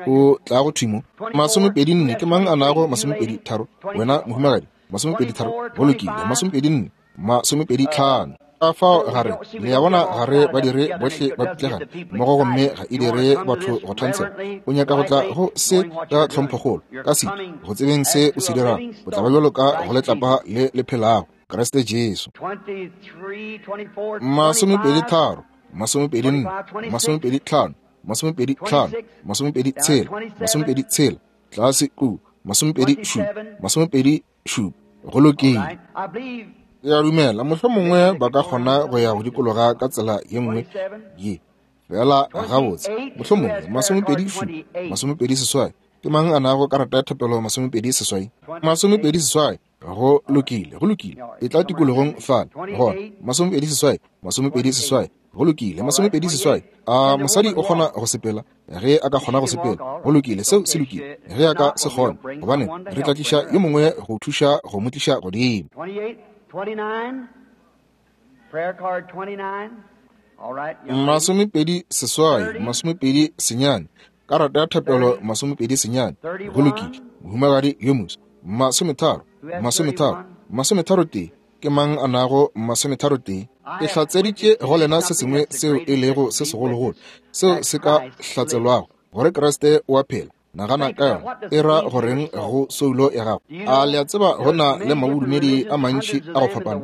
A: O tla go thwi mo. Masomepedi nne. Ke mang a nago masomepedi tharo? Wena mohumagadi. Masomepedi tharo, go lokile, masomepedi nne, masomepedi tlhano. Ka fao ga re, le a bona, ga re ba dire bohle ba pitlegana mmogo, gomme ga e dire batho go thansela. O nyaka go tla go se ka tlhomphokgolo, ka setu, go tsebeng se o se dirago, o tla ba bjalo ka go letlapa le le phelago, Kriste Jesu. Masomepedi tharo, masomepedi nne, masomepedi tlhano, masomepedi tlhano, masomepedi tshela, masomepedi tshela, tlase ku masomepedi šupa, masomepedi šupa. Go lokile. Ke a dumela mohlomongwe ba ka kgona go ya go dikologa ka tsela ye nngwe ye. Feela gabotse, mohlomongwe 27, 28. Ke mang a nago karata ya thapelo 28? 28. Go lokile, go lokile. E tla tikologong fale. Gona, 28, 28. Go lokile, 28. A mosadi o kgona go sepela? Ge a ka kgona go sepela, go lokile, seo se lokile. Ge a ka se kgone, gobane re tla tliša yo mongwe go thuša go mo tliša godimo.
B: 28, 29,
A: 28, 29, karata ya thapelo 29. Go lokile, mohumagadi yo moso. 30, 30, 31. Ke mang a nago 31? Ke hlatseditše go lena se sengwe seo e lego se segologolo seo se ka hlatselwago gore Kriste o a phela. Nagana ka yona, e ra goreng go soulo ya gago? A le a tseba go na le mabodumedi a mantši a go fapana,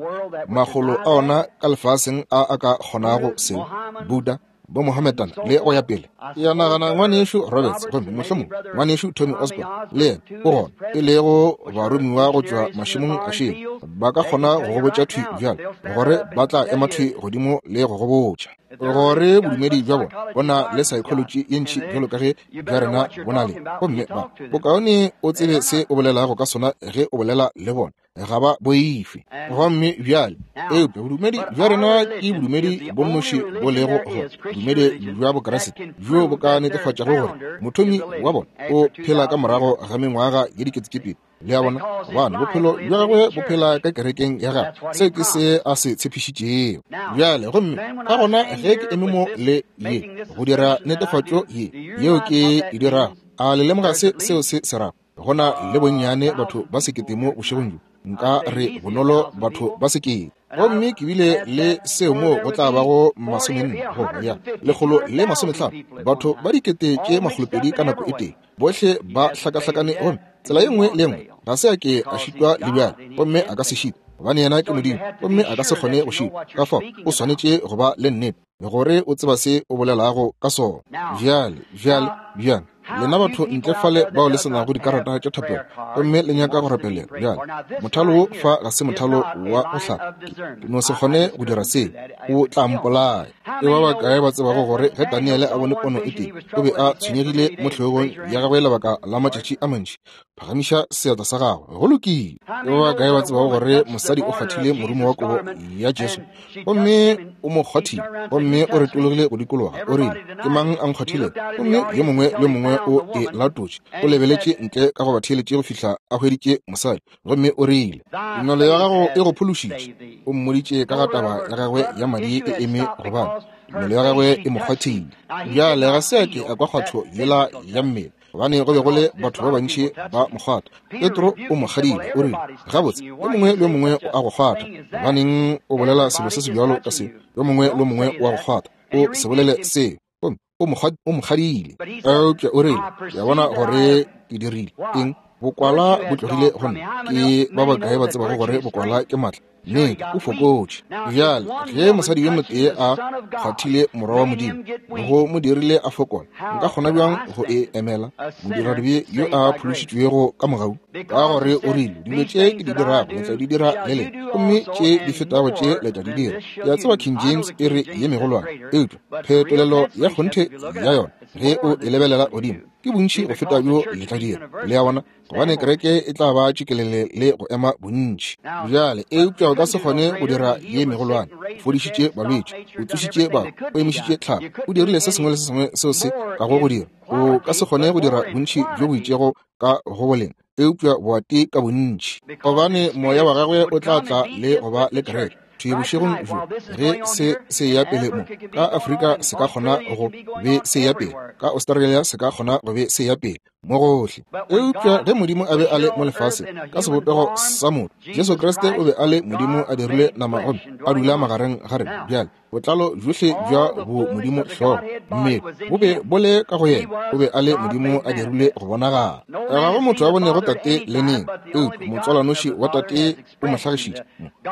A: makgolo a ona ka lefaseng a a ka kgonago seo, Buddha, bo Mohammedan le go ya pele. Ke a nagana ngwanešu Roberts gomme mohlomongwe ngwanešu Tommy Osborn le yena o gona, e lego baromiwa go tšwa mašemong a šele, ba ka kgona go go botša thwi bjale gore ba tla ema thwi godimo le go go botša gore bodumedi bja bona bo na le psychology ye ntši bjalo ka ge bja rena bo na le, gomme ba bokaone o tsebe se o bolelago ka sona ge o bolela le bona. Ga ba boife. Gomme bjale, eupša bodumedi bja rena ke bodumedi bo nnoši bo lego go bodumedi bja Bokriste bjo bo ka netefatšago gore mothomi wa bona o phela ka morago ga mengwaga ye diketekete. Le a bona, gobane bophelo bja gagwe bo phela ka kerekeng ya gagwe. Seo ke se a se tshepišitšego. Bjale, gomme ka gona ge ke eme mo le ye go dira netefatšo ye yeo ke e dirago, a le lemoga se seo se se rago? Go na le bonnyane batho ba sekete mo bošegong bjo, nka re bonolo batho ba sekete. Gomme ke bile le seo mo go tla bago 40 goba ya 150, batho ba 200,000 ka nako e tee, bohle ba hlakahlakane, gomme tsela ye nngwe le ye nngwe ga se a ke a šitwa le bjale, gomme a ka se šitwe, gobane yena ke Modimo, gomme a ka se kgone go šitwa. Ka fao o swanetše go ba le nnete gore o tseba se o bolelago ka sona. Bjale, bjale, bjang, lena batho ntle fale bao le se nago dikarata tša thapelo gomme le nyaka go rapelela, bjale mothalo wo fa ga se mothalo wa go hlapa. Ke no se kgone go dira seo, o tla mpolaya. Ke ba bakae ba tsebago gore ge Daniele a bone pono e tee, o be a tshwenyegile mo hlogong ya gagwe lebaka la matšatši a mantši? Phagamiša seatla sa gago. Go lokile. Ke ba bakae ba tsebago gore mosadi o kgwathile morumo wa kobo ya Jesu, gomme o mo kgwathile, gomme o retologile go dikologa, o rile, Ke mang a nkgwathilego? Gomme yo mongwe le yo mongwe o e latotše. O lebeletše ntle ka go ba theeletše go fihla a hweditše mosadi, gomme o rile, Tumelo ya gago e go phološitše. O mmoditše ka ga taba ya gagwe ya madi e eme, gobane tumelo ya gagwe e mo kgwathile. Bjale ga se a ke a kwa kgwatho yela ya mmele, gobane go be go le batho ba bantši ba mo kgwatha. Petro o mo kgadile, o rile, Gabotse, yo mongwe le yo mongwe o a go kgwatha. Gobaneng o bolela selo se sebjalo ka seo? Yo mongwe le yo mongwe o a go kgwatha. O se bolele seo. Gomme o mo kgadile. Eupša o rile, Ke a bona gore ke dirile eng. Bokwala bo tlogile go nna. Ke ba bakae ba tsebago gore bokwala ke maatla? Nnete, o fokotše. Bjale, ge mosadi yo motee a kgwathile Morwa wa Modimo, go mo dirile a fokola, nka kgona bjang go e emela, modiradibe yo a phološitšwego ka mogau? Ka gore o rile, Dilo tše ke di dirago, le tla di dira le lena, gomme tše di fetago tše le tla di dira. Ke a tseba King James e re ye megolwane, eupša phetolelo ya kgonthe ya yona, ge o e lebelela godimo, ke bontši go feta bjo le tla dira. Le a bona? Gobane kereke e tla ba tšikelele le go ema bontši. Bjale, eupša o ka se kgone go dira ye megolwane. O fodišitše balwetši, o tsošitše bahu, o emišitše tlhago, o dirile se sengwe le se sengwe seo se kago go dira. O ka se kgone go dira bontši bjo bo itšego ka go boleng, eupša boati ka bontši, gobane moya wa gagwe o tla tla le go ba le kereke. Thwi bošegong bjo, ge se se ya pele mo ka Afrika, se ka kgona go be se ya pele ka Australia, se ka kgona go be se ya pele mo gohle. Eupša ge Modimo a be a le mo lefaseng ka sebopego sa motho, Jesu Kriste o be a le Modimo a dirile nama gomme a dula magareng ga rena. Bjale botlalo bjohle bja bo Modimo hlogo mmele bo be bo le ka go yena. O be a le Modimo a dirile go bonagala. Ga go motho a bonego Tate le neng, eupša motswalwanoši wa Tate o mo hlagišitše.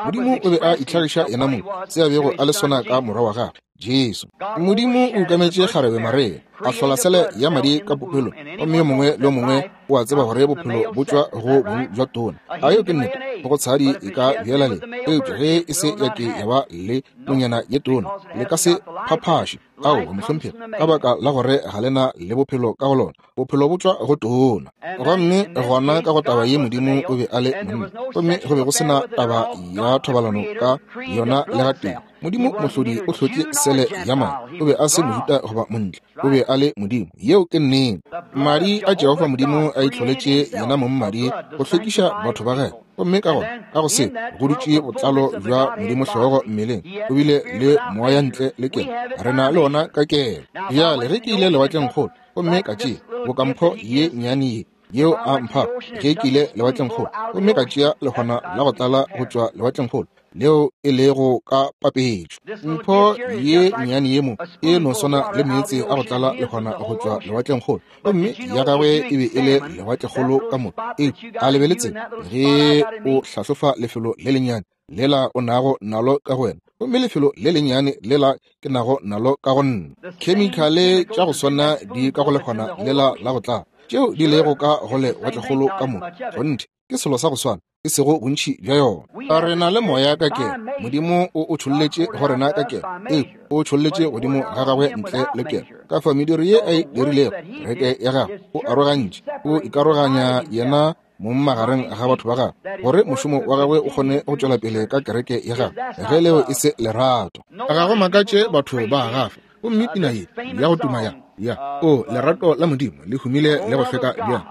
A: Modimo o be a itlhagiša yena mong, se a bego a le sona ka Morwa wa gagwe, Jesu. Modimo o ukametše kgarebe Maria, a hlola sele ya madi ka popelong, gomme yo mongwe le yo mongwe o a tseba gore bophelo bo tšwa go bong bja tona. A yeo ke nnete? Go tshadi e ka bjela le, eupša ge e se ya ke ya ba le nonyana ye tona, le ka se phaphaše. Aowa, mohlomphegi, ka baka la gore ga le na le bophelo ka go lona. Bophelo bo tšwa go tona. Gomme gona ka go taba ye Modimo o be a le monna, gomme go be go se na taba ya thobalano ka yona le gatee. Modimo Mohlodi o hlotše sele ya madi. O be a se Mojuda goba Montle. O be a le Modimo. Yeo ke nnete. Madi a Jehofa Modimo a itlholetše yena mong madi go hlwekiša batho ba gagwe. Gomme ka gona, ka go se, go dutše botlalo bja Modimo hlogo mmeleng. O bile le moya ntle le kelo. Re na le ona ka kelo. Bjale, ge ke ile lewatlengkgolo, gomme ka tšea bokampho ye nnyane ye, yeo a mphago ge ke ile lewatlengkgolo, gomme ka tšea lehwana la go tlala go tšwa lewatlengkgolo, leo e lego ka papetšo. Mpho ye nnyane ye mo e no swana le meetse a go tlala lehwana go tšwa lewatlengkgolo, gomme ya gagwe e be e le lewatlekgolo ka moka. Eupša a le be le tsebe ge o hlahlofa lefelo le lennyane lela o nago nalo ka go wena, gomme lefelo le lennyane lela ke nago nalo ka go nna, khemikhale tša go swana di ka go lehwana lela la go tlala tšeo di lego ka go lewatlekgolo ka moka. Kgonthe, ke selo sa go swana, e sego bontši bja yona. A re na le moya ka kelo, Modimo o o tšholletše go rena ka kelo, ee, o tšholletše godimo ga gagwe ntle le kelo. Ka fa mediro ye a e dirilego, kereke ya gagwe, o arogantše, o ikaroganya yena mong magareng ga batho ba gagwe, gore mošomo wa gagwe o kgone go tšwela pele ka kereke ya gagwe, ge leo e se lerato. Ga go makatše batho ba gafa. Gomme pina ye ya go tuma ya, ya, O lerato la Modimo le humile le go hlweka bjang,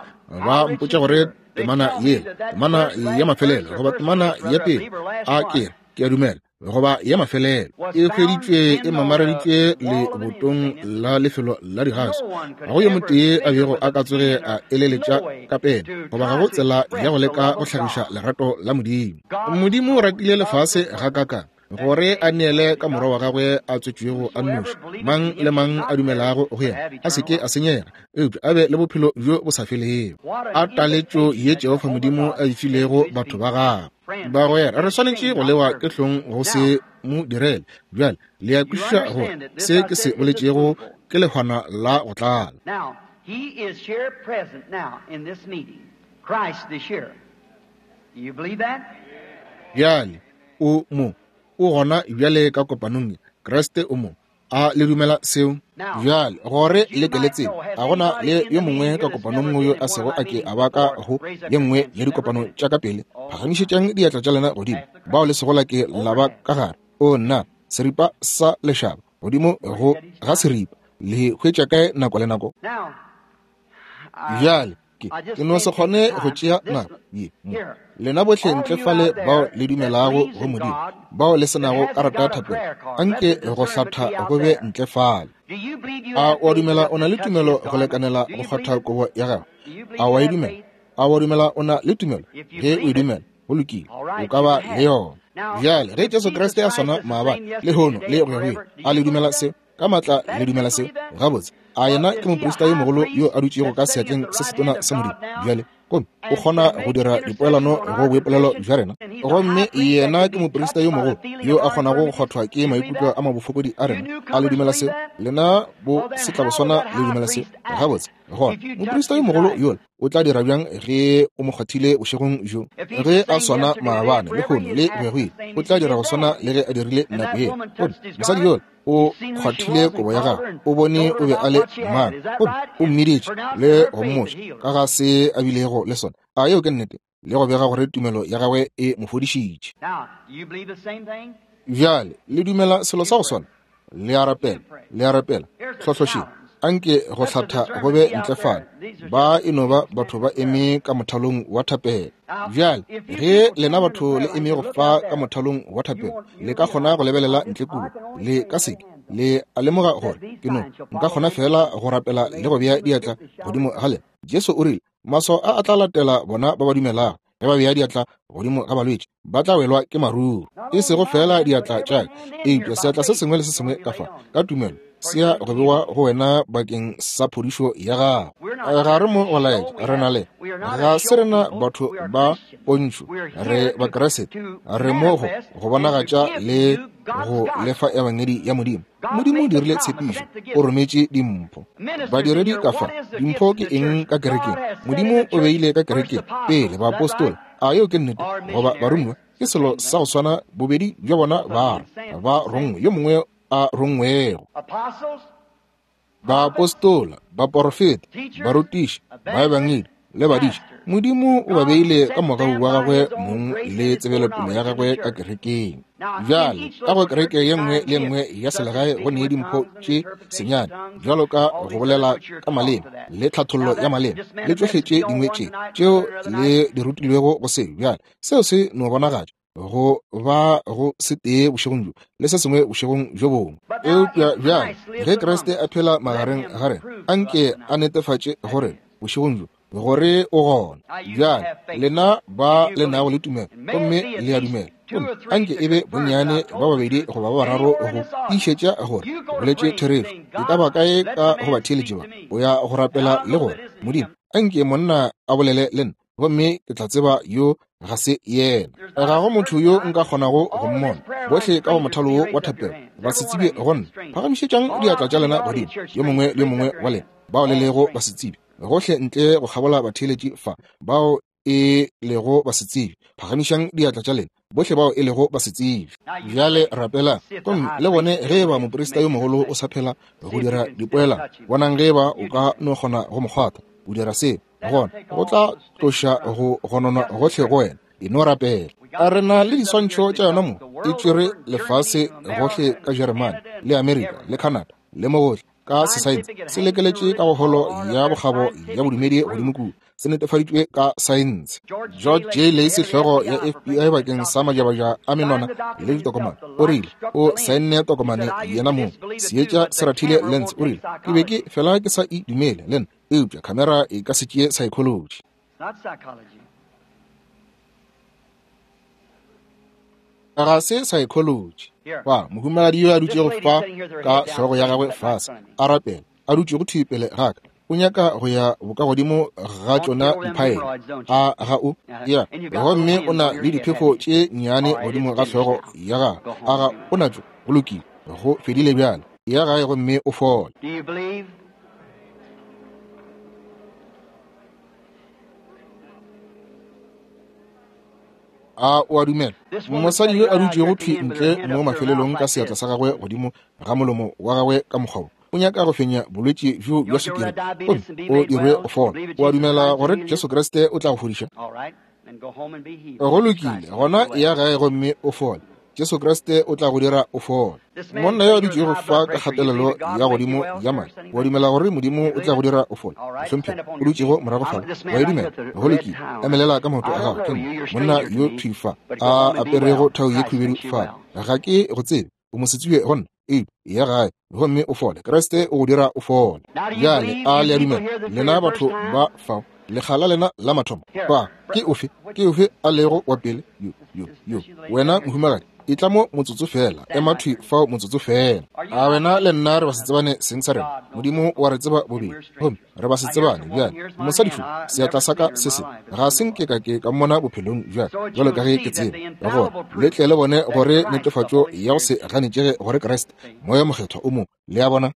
A: ba mpotša gore temana yela, temana ya mafelelo goba temana ya pele, a ke re, ke a dumela, goba ya mafelelo, e hweditšwe e mamareditšwe lebotong la lefelo la digaso. Ga go yo motee a bego a ka tsoge a eleletša ka pene, goba ga go tsela ya go leka go hlagiša lerato la Modimo. Modimo o ratile lefase gakakang gore a neele ka morwa wa gagwe a tswetšwego a nnoši, mang le mang a dumelago go yena a se ke a senyega, eupša a be le bophelo bjo bo sa felego. A taletšo ye Jehofa Modimo a e filego batho ba gagwe! Bagwera, re swanetše go lewa ke hlong go se mo direle. Bjale le a kwešiša gore se ke se boletšego ke lehwana la go tlala.
B: Now, he is here present now in this meeting. Christ is here. Do you believe that?
A: Bjale o mo, o gona bjale ka kopanong ye. Kriste o mo. A le dumela seo? Bjale, gore le ke le tsebe, ga go na le yo mongwe ka kopanong yo a sego a ke a ba ka go ye nngwe ya dikopano tša ka pele. Phagamišetšang diatla tša lena godimo, bao le sego la ke la ba ka gare. O nna, seripa sa lešaba, godimo go ga seripa. Le hwetša kae nako le nako? Bjale, ke, ke no se kgone go tšea nako ye mo. Lena bohle ntle fale bao le dumelago go Modimo, bao le se nago karata ya thapelo, anke go hlatha go be ntle fale. A o a dumela o na le tumelo go lekanela go kgwatha kobo ya gagwe? A o a e dumela? A o a dumela o na le tumelo? Ge o e dumela, go lokile, o ka ba le yona. Bjale, ge Jesu Kriste a swana maabane, lehono, le go ya go ile, a le dumela seo? Ka maatla le dumela seo? Gabotse, a yena ke moprista yo mogolo yo a dutšego ka seatleng se setona sa Modimo bjale, gomme o kgona go dira dipoelano go boipolelo bja rena. Gomme yena ke moprista yo mogolo yo a kgonago go kgwathwa ke maikutlo a mabofokodi a rena. A le dumela seo? Lena bo setlaboswana le dumela seo? Gabotse, gona moprista yo mogolo yola o tla dira bjang ge o mo kgwathile bošegong bjo? Ge a swana maabane, lehono le go ya go ile, o tla dira go swana le ge a dirile nako yela. Gomme mosadi yola o kgwathile kobo ya gagwe, o bone o be a le mang, gomme o mmiditše le go mmotša ka ga se a bilego le sona. A yeo ke nnete? Le go bega gore tumelo ya gagwe e mo fodišitše. Bjale le dumela selo sa go swana? Le a rapela, le a rapela. Hlohlošeng, anke go hlatha go be ntle fale. Ba e no ba batho ba eme ka mothalong wa thapelo. Bjale, ge lena batho le eme go fa ka mothalong wa thapelo, le ka kgona go lebelela ntle kua. Le ka seke le a lemoga gore ke no nka kgona feela go rapela le go bea diatla godimo ga lena. Jesu o rile, Maswao a a tla latela bona ba ba dumelago. Ge ba bea diatla godimo ga balwetši, ba tla welwa ke maruru. E sego feela diatla tša ka, eupša seatla se sengwe le se sengwe ka fa, ka tumelo, se ya go bewa go wena bakeng sa phodišo ya gago. Ga re mo go laetša, re na le, ga se rena batho ba pontšho, re Bakriste. Re mo go go bonagatša le go lefa ebangedi ya Modimo. Modimo o dirile tshepišo, o rometše dimpho. Badiredi ka fa, dimpho ke eng ka kerekeng? Modimo o beile ka kerekeng pele baapostola, a yeo ke nnete, goba baromiwa, ke selo sa go swana, bobedi bja bona ba re ba rongwe, yo mongwe. a rongwego. Baapostola, baporofeta, barutiši, baebangedi le badiši, Modimo o ba beile ka mogau wa gagwe mong le tsebelopele ya gagwe ka kerekeng. Bjale ka go kereke ye nngwe le nngwe ya selegae go ne dimpho tše senyane, bjalo ka go bolela ka maleme le tlhathollo ya maleme le tšohle tše dingwe tše tšeo le di rutilwego go se. Bjale seo se no bonagatša go ba go se tee bošegong bjo le se sengwe bošegong bjo bongwe. Eupša bjale ge Kriste a phela magareng ga rena, anke a netefatše gore bošegong bjo gore o gona. Bjale lena ba le nago le tumelo gomme le a dumela, gomme anke e be bonnyane ba babedi goba ba bararo go tiišetša gore o boletše therešo. E ka ba kae ka go batheeletši ba, o ya go rapela le gore, Modimo, anke monna a bolele le nna, gomme ke tla tseba yo ga se yena. Ga go motho yo nka kgonago go mmona. Bohle ka go mothalo wo wa thapelo ba se tsebe go nna. Phagamišetšang diatla tša lena godimo, yo mongwe le yo mongwe wa lena bao le lego ba se tsebe, gohle ntle go kgabola batheeletši fa bao e lego ba se tsebe. Phagamišang diatla tša lena, bohle bao e lego ba se tsebe. Bjale rapelang, gomme le bone ge eba moprista yo mogolo o sa phela go dira dipoelano. Bonang ge eba o ka no kgona go mo kgwatha. O dira seo, gona go tla tloša go gononwa gohle go wena. E no rapela. A re na le diswantšho tša yona mo, e tšwere lefase gohle ka Jeremane le Amerika le Canada le mo gohle, ka sesaense se lekeletše ka go holo ya bokgabo ya bodumedi godimo kua, se netefaditšwe ka saense. George J. Lacy, hlogo ya FBI bakeng sa majabaja a menwana le ditokomane, o rile o saenne tokomane yena mong. Seetša se rathile lens, o rile, ke be ke fela ke sa e dumele le nna, eupša khamera e ka se tšee psychology. Ga se psychology. Fa mohumagadi yo a dutšego fa ka hlogo ya gagwe fase a rapela, a dutšego thwi pele ga ka, o nyaka go ya bokagodimo ga tšona diphaele, a ga o? Ya, gomme o na le diphefo tše nnyane godimo ga hlogo ya gagwe, a ga o natšo? Go lokile, go fedile bjale. Ya gae gomme o fole. A o a dumela? Mosadi yo a dutšego thwi ntle mo mafelelong ka seatla sa gagwe godimo ga molomo wa gagwe ka mokgwa wo, o nyaka go fenya bolwetši bjo bja sukiri gomme o dirwe go fola. O a dumela gore Jesu Kriste o tla go fodiša? Go lokile, gona ya gae gomme o fole. Jesu Kriste o tla go dira o fole. Monna yo a dutšego fa ka kgatelelo ya godimo ya madi, wa dumela gore Modimo o tla go dira o fole? Mohlomphegi, o dutšego morago fale, wa e dumela? Go lokile, emelela ka maoto a gago. Ke nna monna yo thwi fa a aperego thau ye khubedu fale. Ga ke go tsebe, o mosetsebje go nna. Eupša ya gae gomme o fole. Kriste o go dira o fole. Bjale a le a dumela, lena batho ba fao, lekga la lena la mathomo fa? Ke ofe, ke ofe a lego wa pele? Yo, yo, yo. Wena mohumagadi, e tla mo motsotso fela, ema thwi fao motsotso fela. A wena le nna re ba se tsebane seng sa rena? Modimo wa re tseba bobedi, gomme re ba se tsebane. Bjale mosadi šo, seatla sa ka se se ga se nke ka ke ka mmona bophelong bja jalo ka ge ke tseba gore le tle le bone gore netefatšo ya go se ganetšege gore Kriste Moya Mokgethwa o mo. Le a bona?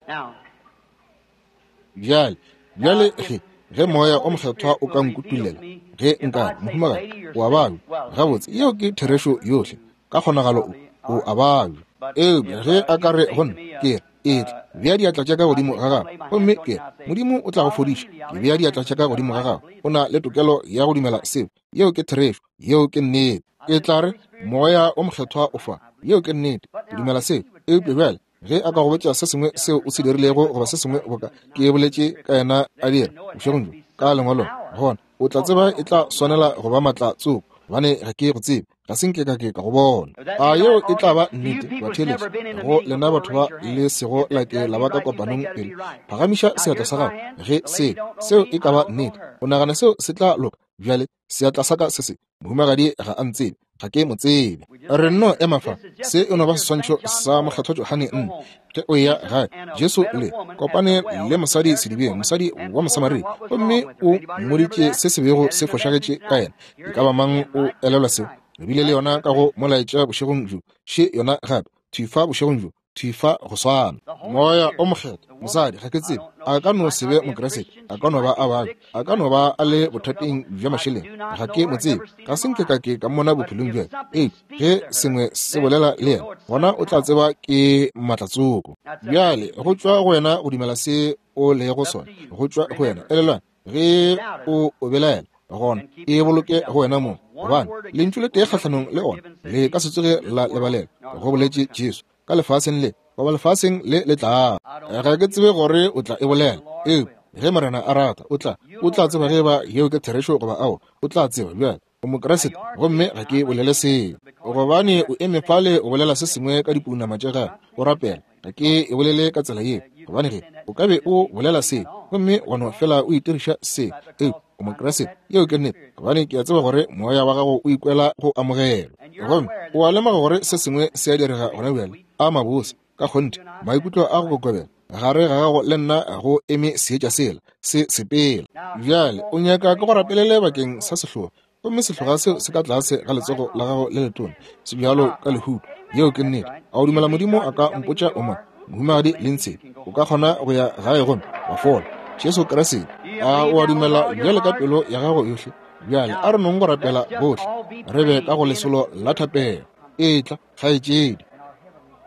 A: Bjale, bjale ge, ge Moya o Mokgethwa o ka nkutullela, ge nka, mohumagadi, o a babja. Gabotse, yeo ke therešo yohle. Ka kgonagalo o, o a babja. Eupša ge a ka re go nna, ke re, etla, bea diatla tša ka godimo ga gago, gomme ke re, Modimo o tla go fodiša. Ke bea diatla tša ka godimo ga gago. O na le tokelo ya go dumela seo. Yeo ke therešo. Yeo ke nnete. Ke tla re, Moya o Mokgethwa o fa. Yeo ke nnete. Ke dumela seo. Eupša bjale, ge a ka go botša se sengwe seo o se dirilego goba se sengwe boka ke boletše ka yena a dira bošegong bjo ka lengwalong, gona o tla tseba e tla swanela go ba maatla tsoko, gobane ga ke go tsebe, ga se nke ka ke ka go bona. A yeo e tla ba nnete, batheeletši, go lena batho ba le sego la ke la ba ka kopanong pele? Phagamiša seatla sa gago ge se, seo e ka ba nnete. O nagana seo se tla loka? Bjale seatla sa ka se se, mohumagadi ga a ntsebe, ga ke mo tsebe. Re nno ema fa. Se e no ba seswantšho sa Mokgethwa Johane nne ge o eya gae. Jesu le kopane le mosadi sedibeng, mosadi wa Mosamaria, gomme o mmoditše se se bego se fošagetše ka yena. E ka ba mang o elelwa seo? Re bile le yona ka go molaetša bošegong bjo. Še yona gape, thwi fa bošegong bjo, thwi fa go swana. Moya o Mokgethwa, mosadi, ga ke tsebe. A ka no se be Mokriste, a ka no ba a babja, a ka no ba a le bothateng bja mašeleng. Ga ke mo tsebe, ga se nke ka ke ka mmona bophelong bja ka. Eupša ge sengwe se bolela le yena, gona o tla tseba ke maatlatsoko. Bjale go tšwa go wena go dumela se o lego sona, go tšwa go wena. Elelwang, ge o o belaela, gona e boloke go wena mong, gobane lentšu le tee kgahlanong le ona le ka se tsoge la lebalelwa, go boletše Jesu, ka lefaseng le goba lefaseng le le tlago. Ga ke tsebe gore o tla e bolela, eupša ge Morena a rata, o tla, o tla tseba ge eba yeo ke therešo goba aowa. O tla tseba. Bjale, o Mokriste, gomme ga ke bolele seo gobane o eme fale o bolela se sengwe ka dipounama tša gago, o rapela. Ga ke e bolele ka tsela yeo, gobane ge o ka be o bolela seo gomme wa no fela o itiriša seo, eupša o Mokriste, yeo ke nnete, gobane ke a tseba gore moya wa gago o ikwela go amogelwa, gomme o a lemoga gore se sengwe se a direga gona bjale. A mabose, ka kgonthe, maikutlo a go kokobela gare ga gago le nna go eme seetša sela se sepela. Bjale o nyaka ke go rapelele bakeng sa sehloga, gomme sehloga seo se ka tlase ga letsogo la gago le letona, se bjalo ka lehuto. Yeo ke nnete. A o dumela Modimo a ka mpotša o mang? Mohumagadi Lindsay, o ka kgona go ya gae gomme wa fola. Jesu Kriste, a o a dumela bjale ka pelo ya gago yohle? Bjale a re nong go rapela bohle, re be ka go lesolo la thapelo. Etla, kgaetšedi.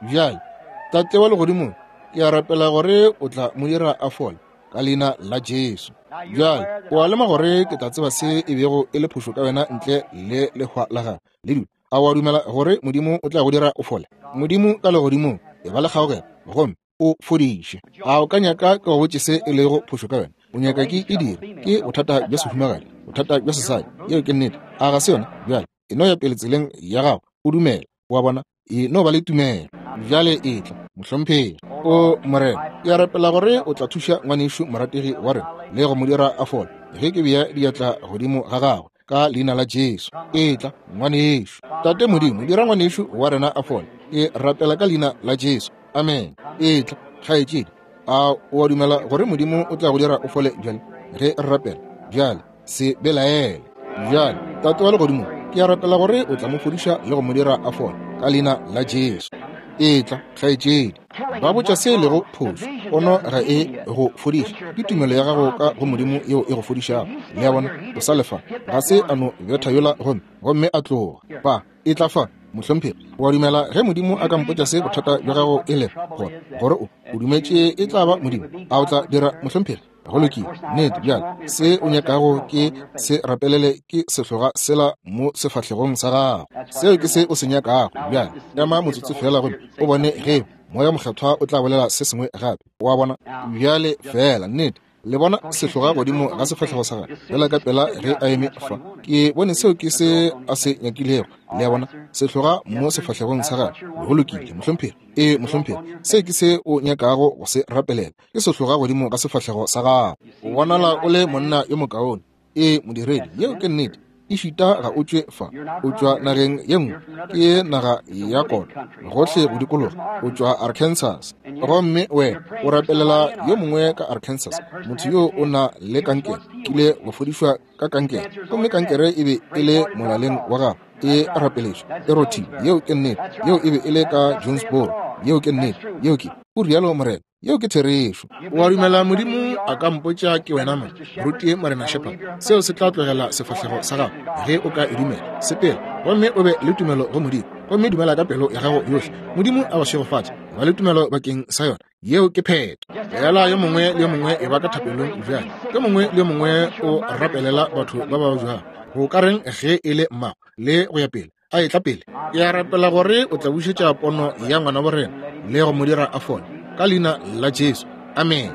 A: Bjale, Tate wa Legodimong, ke a rapela gore o tla mo dira a fole ka leina la Jesu. Bjale, o a lema gore ke tla tseba se e bego e le phošo ka wena ntle le lehwa la gago le dula. A o a dumela gore Modimo o tla go dira o fole? Modimo ka legodimong, e ba le kgaogelo gomme o fodiše. A o ka nyaka ke go botše se e lego phošo ka wena? O nyaka ke e dire? Ke bothata bja sehumagadi, bothata bja sesadi. Yeo ke nnete. A ga se yona? Bjale, e no ya pele tseleng ya gago, o dumela. O a bona? E no ba le tumelo. Bjale etla, mohlomphegi. O Morena, ke a rapela gore o tla thuša ngwanešu morategi wa rena le go mo dira a fole, ge ke bea diatla godimo ga gagwe, ka leina la Jesu. Etla, ngwanešu. Tate Modimo, dira ngwanešu wa rena a fole. Ke rapela ka leina la Jesu. Amen. Etla, kgaetšedi. A o a dumela gore Modimo o tla go dira o fole bjale ge re rapela? Bjale, se belaele. Bjale, Tate wa Legodimo, ke a rapela gore o tla mo fodiša le go mo dira a fole, ka leina la Jesu. Etla, kgaetšedi. Ba botša se e lego phošo. Pono ga e go fodiše. Ke tumelo ya gago ka go Modimo yeo e go fodišago. Le a bona? O sa le fa. Ga se a no betha yola gomme, gomme a tloga. Ba, etla fa, mohlomphegi. O a dumela ge Modimo a ka mpotša se bothata bja gago e lego, gore, gore o, o dumetše e tla ba Modimo, a o tla dira, mohlomphegi? Go lokile, nnete. Bjale se o nyakago ke se rapelele ke sehloga sela mo sefahlegong sa gago. Seo ke se o se nyakago. Bjale ema motsotso feela gomme o bone ge Moya Mokgethwa o tla bolela se sengwe gape. O a bona? Bjale feela, nnete, le bona sehloga godimo ga sefahlego sa gagwe feela ka pela ge a eme fa. Ke bone seo ke se a se nyakilego. Le a bona? Sehloga mo sefahlegong sa gagwe. Go lokile, mohlomphegi. Ee, mohlomphegi, se ke se o nyakago go se rapelela. Ke sehloga godimo ga sefahlego sa gago. O bonala o le monna yo mokaone. Ee, modiredi, yeo ke nnete. Ešita ga o tšwe fa, o tšwa nageng ye nngwe, ke naga ya kota, gohle go dikologa. O tšwa Arkansas. Gomme wena o rapelela yo mongwe ka Arkansas, motho yo o na le kankere, kile wa fodišwa ka kankere, gomme kankere e be e le molaleng wa gago, e rapeletšwe, e rothile. Yeo ke nnete. Yeo e be e le ka Jonesboro. Yeo ke nnete. Yeo ke, o rialo Morena. Yeo ke therešo. O a dumela Modimo a ka mpotša ke wena mang? Moruti Morena Shepherd, seo se tla tlogela sefahlego sa gago ge o ka e dumela. Sepela gomme o be le tumelo go Modimo, gomme dumela ka pelo ya gago yohle. Modimo a go šegofatše. Ba le tumelo bakeng sa yona. Yeo ke phetho. Fela yo mongwe le yo mongwe e ba ka thapelong bjale. Yo mongwe le yo mongwe o rapelela batho ba ba bjang. Go ka reng ge e le mmago le go ya pele? A etla pele. Ke a rapela gore o tla bušetša pono ya ngwana bo rena le go mo dira a fole, ka leina la Jesu. Amen.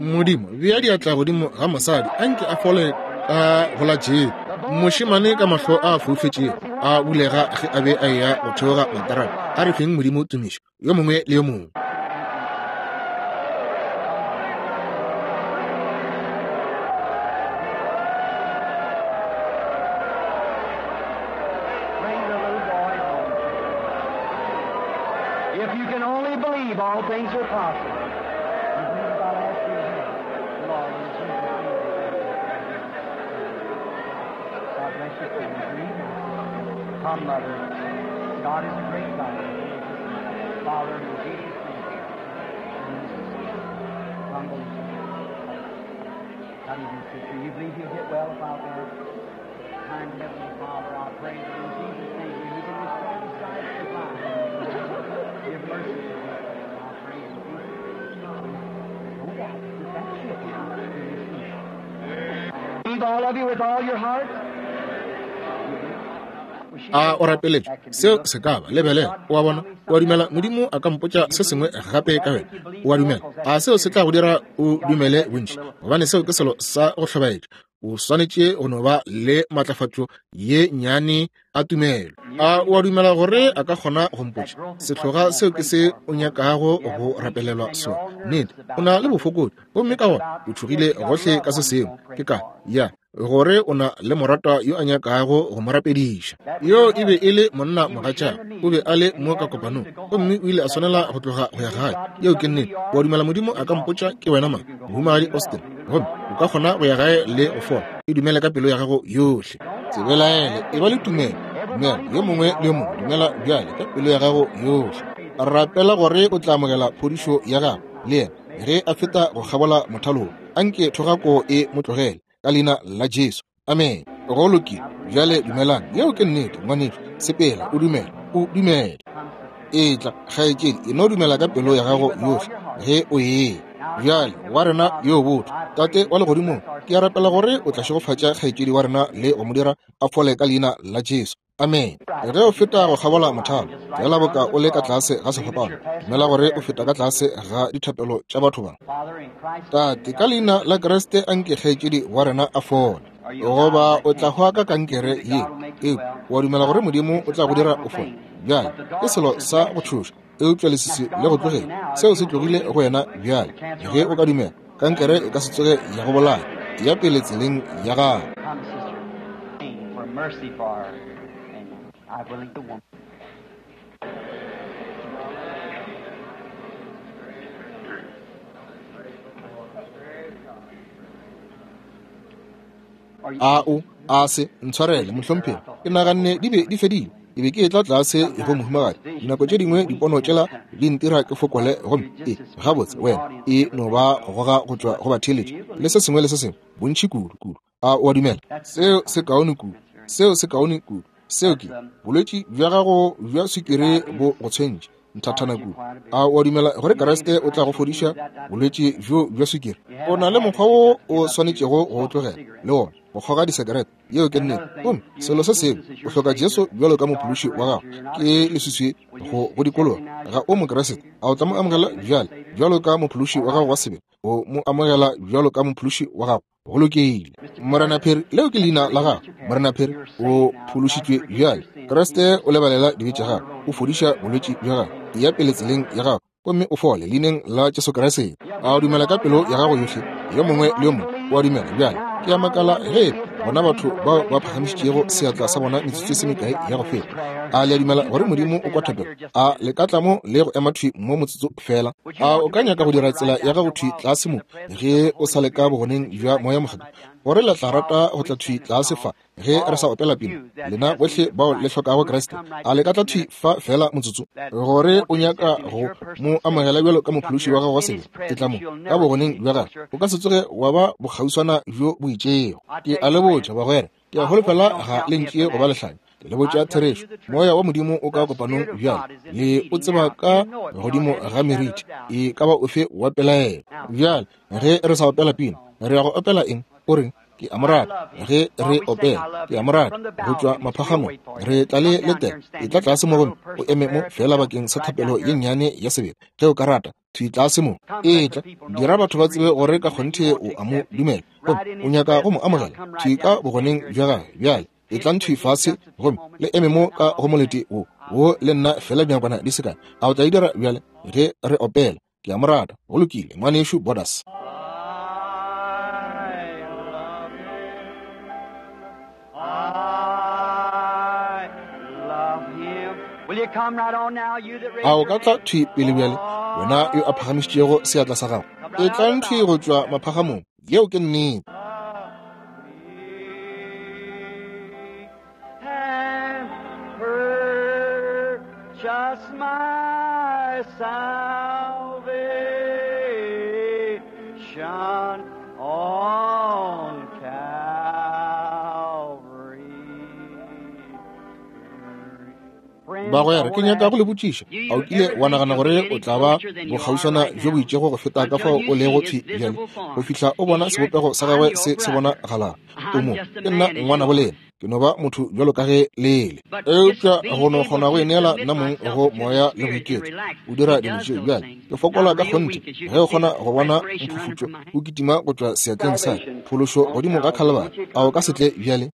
A: Modimo, bea diatla godimo ga mosadi, a nke a fole ka go la Jesu. Mošemane ka mahlo a foufetšego a bulega ge a be a eya go theoga matarana. A re feng Modimo tumišo, yo mongwe le yo mongwe.
B: Bring the little boy home. If you can only believe, all things are possible. You believe I'll ask you again. Lord, in Jesus' name. God bless you. Come, Mother. God is a great God. Father, in Jesus' name. Come, How do you do, sister? You believe you'll get well if I'll be kind Heavenly Father, I pray that in Jesus' name you can restore the sight of the blind. Give mercy to us, I pray in Jesus' name. Don't doubt. Just that ship now. Believe all of you with all your heart.
A: A o rapeletše seo se ka ba lebelela o a bona o a dumela Modimo a ka mpotša se sengwe gape ka wena o a dumela a seo se tla go dira o dumele bontši gobane seo ke selo sa go hlobaetša o swanetše go no ba le matlafatšo ye nnyane a tumelo a o a dumela gore a ka kgona go mpotša sehloga seo ke se o nyakago go rapelelwa sona nnete o na le bofokodi gomme ka gona o tšhogile gohle ka se sengwe ke ka ya gore o na le moratwa yo a nyakago go mo rapediša yo e be e le monna mogatšago o be a le mo ka kopanong gomme o ile a swanela go tloga go ya gae yeo ke nnete wa dumela Modimo a ka mpotša ke wena mang mohumagadi Austin gomme o ka kgona go ya gae le go fola e dumele ka pelo ya gago yohle tsebelaele e ba le tumelo dumela yo mongwe le yo mongwe dumela bjale ka pelo ya gago yohle rapela gore o tla amogela phodišo ya gago le yena ge a feta go kgabola mothalong anke thogako e mo tlogele ka leina la Jesu amen go lokile bjale dumelang yeo ke nnete ngwanešu sepela o dumela o dumele etla kgaetšedi e no dumela ka pelo ya gago yohle ge o ee bjale wa rena yo botho tate wa legodimong ke a rapela gore o tla šegofatša kgaetšedi wa rena le go mo dira a fole ka leina la Jesu amen ge o feta go kgabola mothalo fela boka o le ka tlase ga sefapano dumela gore o feta ka tlase ga dithapelo tša batho ba tate ka leina la Kriste anke kgaetšedi wa rena a fole goba o tla hwa ka kankere ye eupša wa dumela gore Modimo o tla go dira o fole bjale ke selo sa go tšhoša eupša leswiswi le go tlogele seo se tlogile go wena bjale ge o ka dumela kankere e ka se tsoge ya go bolaya ya pele tseleng ya gago.
B: Mercy for her. And I believe the woman.
A: A o a se ntshwarele mohlomphegi ke naganne di be di fedile ke be ke etla tlase go mohumagadi dinako tše dingwe dipono tšela di ntira ke fokole gomme e gabotse wena e no ba go goga go tšwa go batheeletši le se sengwe le se sengwe bontši kudu kudu a o a dumela seo se kaone kudu seo se kaone kudu seo ke bolwetši bja gago bja swikiri bo go tshwentše nthathana kudu a o a dumela gore Kriste o tla go fodiša bolwetši bjo bja swikiri o na le mokgwa wo o swanetšego go o tlogela le wona go kgoga disekerete yeo ke nnete gomme selo se sengwe o hloka Jesu bjalo ka mophološi wa gago ke leswiswi go go dikologa ga o Mokriste a o tla mo amogela bjale bjalo ka mophološi wa gago wa sebele o mo amogela bjalo ka mophološi wa gago go lokile Morena Phiri leo ke leina la gago Morena Phiri o phološitšwe bjale Kriste o lebalela dibe tša gago o fodiša bolwetši bja gago ya pele tseleng ya gago gomme o fole leineng la Jesu Kriste a o dumela ka pelo ya gago yohle yo mongwe le yo mongwe o a dumela bjale ke a makala ge bona batho bao ba phagamišitšego seatla sa bona metsotso se mekae ya go feta a le a dumela gore Modimo o kwa thapelo a le ka tla mo le go ema thwi mo motsotso fela a o ka nyaka go dira tsela ya gago thwi tlase mo ge o sa le ka bogoneng bja moya mokgethwa gore le tla rata go tla thwi tlase fa ge re sa opela pina lena bohle bao le hlokago Kriste a le ka tla thwi fa fela motsotso gore o nyaka go mo amogela bjalo ka mophološi wa gago wa sebe ke tla mo ka bogoneng bja gagwe o ka se tsoge wa ba bokgauswana bjo bo itšego ke a le botša bagwera ke a holofela ga le ntšee go ba lehlanya ke le botša therešo moya wa Modimo o ka kopanong bjale le o tseba ka godimo ga meriti e ka ba ofe wa pelaelo bjale ge re sa opela pina re ya go opela eng o reng ke a mo rata ge re opela ke a mo rata go tšwa maphagamong re tla le letela e tla tlase mo gomme o eme mo fela bakeng sa thapelo ye nnyane ya sebele ge o ka rata thwi tlase mo etla dira batho ba tsebe gore ka kgonthe o a mo dumela gomme o nyaka go mo amogela thwi ka bogoneng bja gagwe bjale etlang thwi fase gomme le eme mo ka go molete wo wo le nna fela dinakwana di se kae a o tla e dira bjale ge re opela ke a mo rata go lokile ngwanešu Borders. A o ka tla thwi pele bjale wena yo a phagamišitšego seatla sa gago e tlang thwi go tšwa maphagamong yeo ke nnete.
B: Just my salvation on.
A: Bagwera, ke nyaka go le botšiša, a o kile wa nagana gore o tla ba bokgauswana bjo bo itšego go feta ka fao o lego thwi bjale, go fihla o bona sebopego sa gagwe se se bonagalago? O mo, ke nna ngwanabo lena, ke no ba motho bjalo ka ge le le. Eupša go no kgona go ineela nna mong go moya le go iketla, o dira dilo tšeo. Bjale ke fokola ka kgonthe ge o kgona go bona mphufutšo o kitima go tšwa seatleng sa ka, phološo godimo ga Khalibari. A o ka se tle bjale?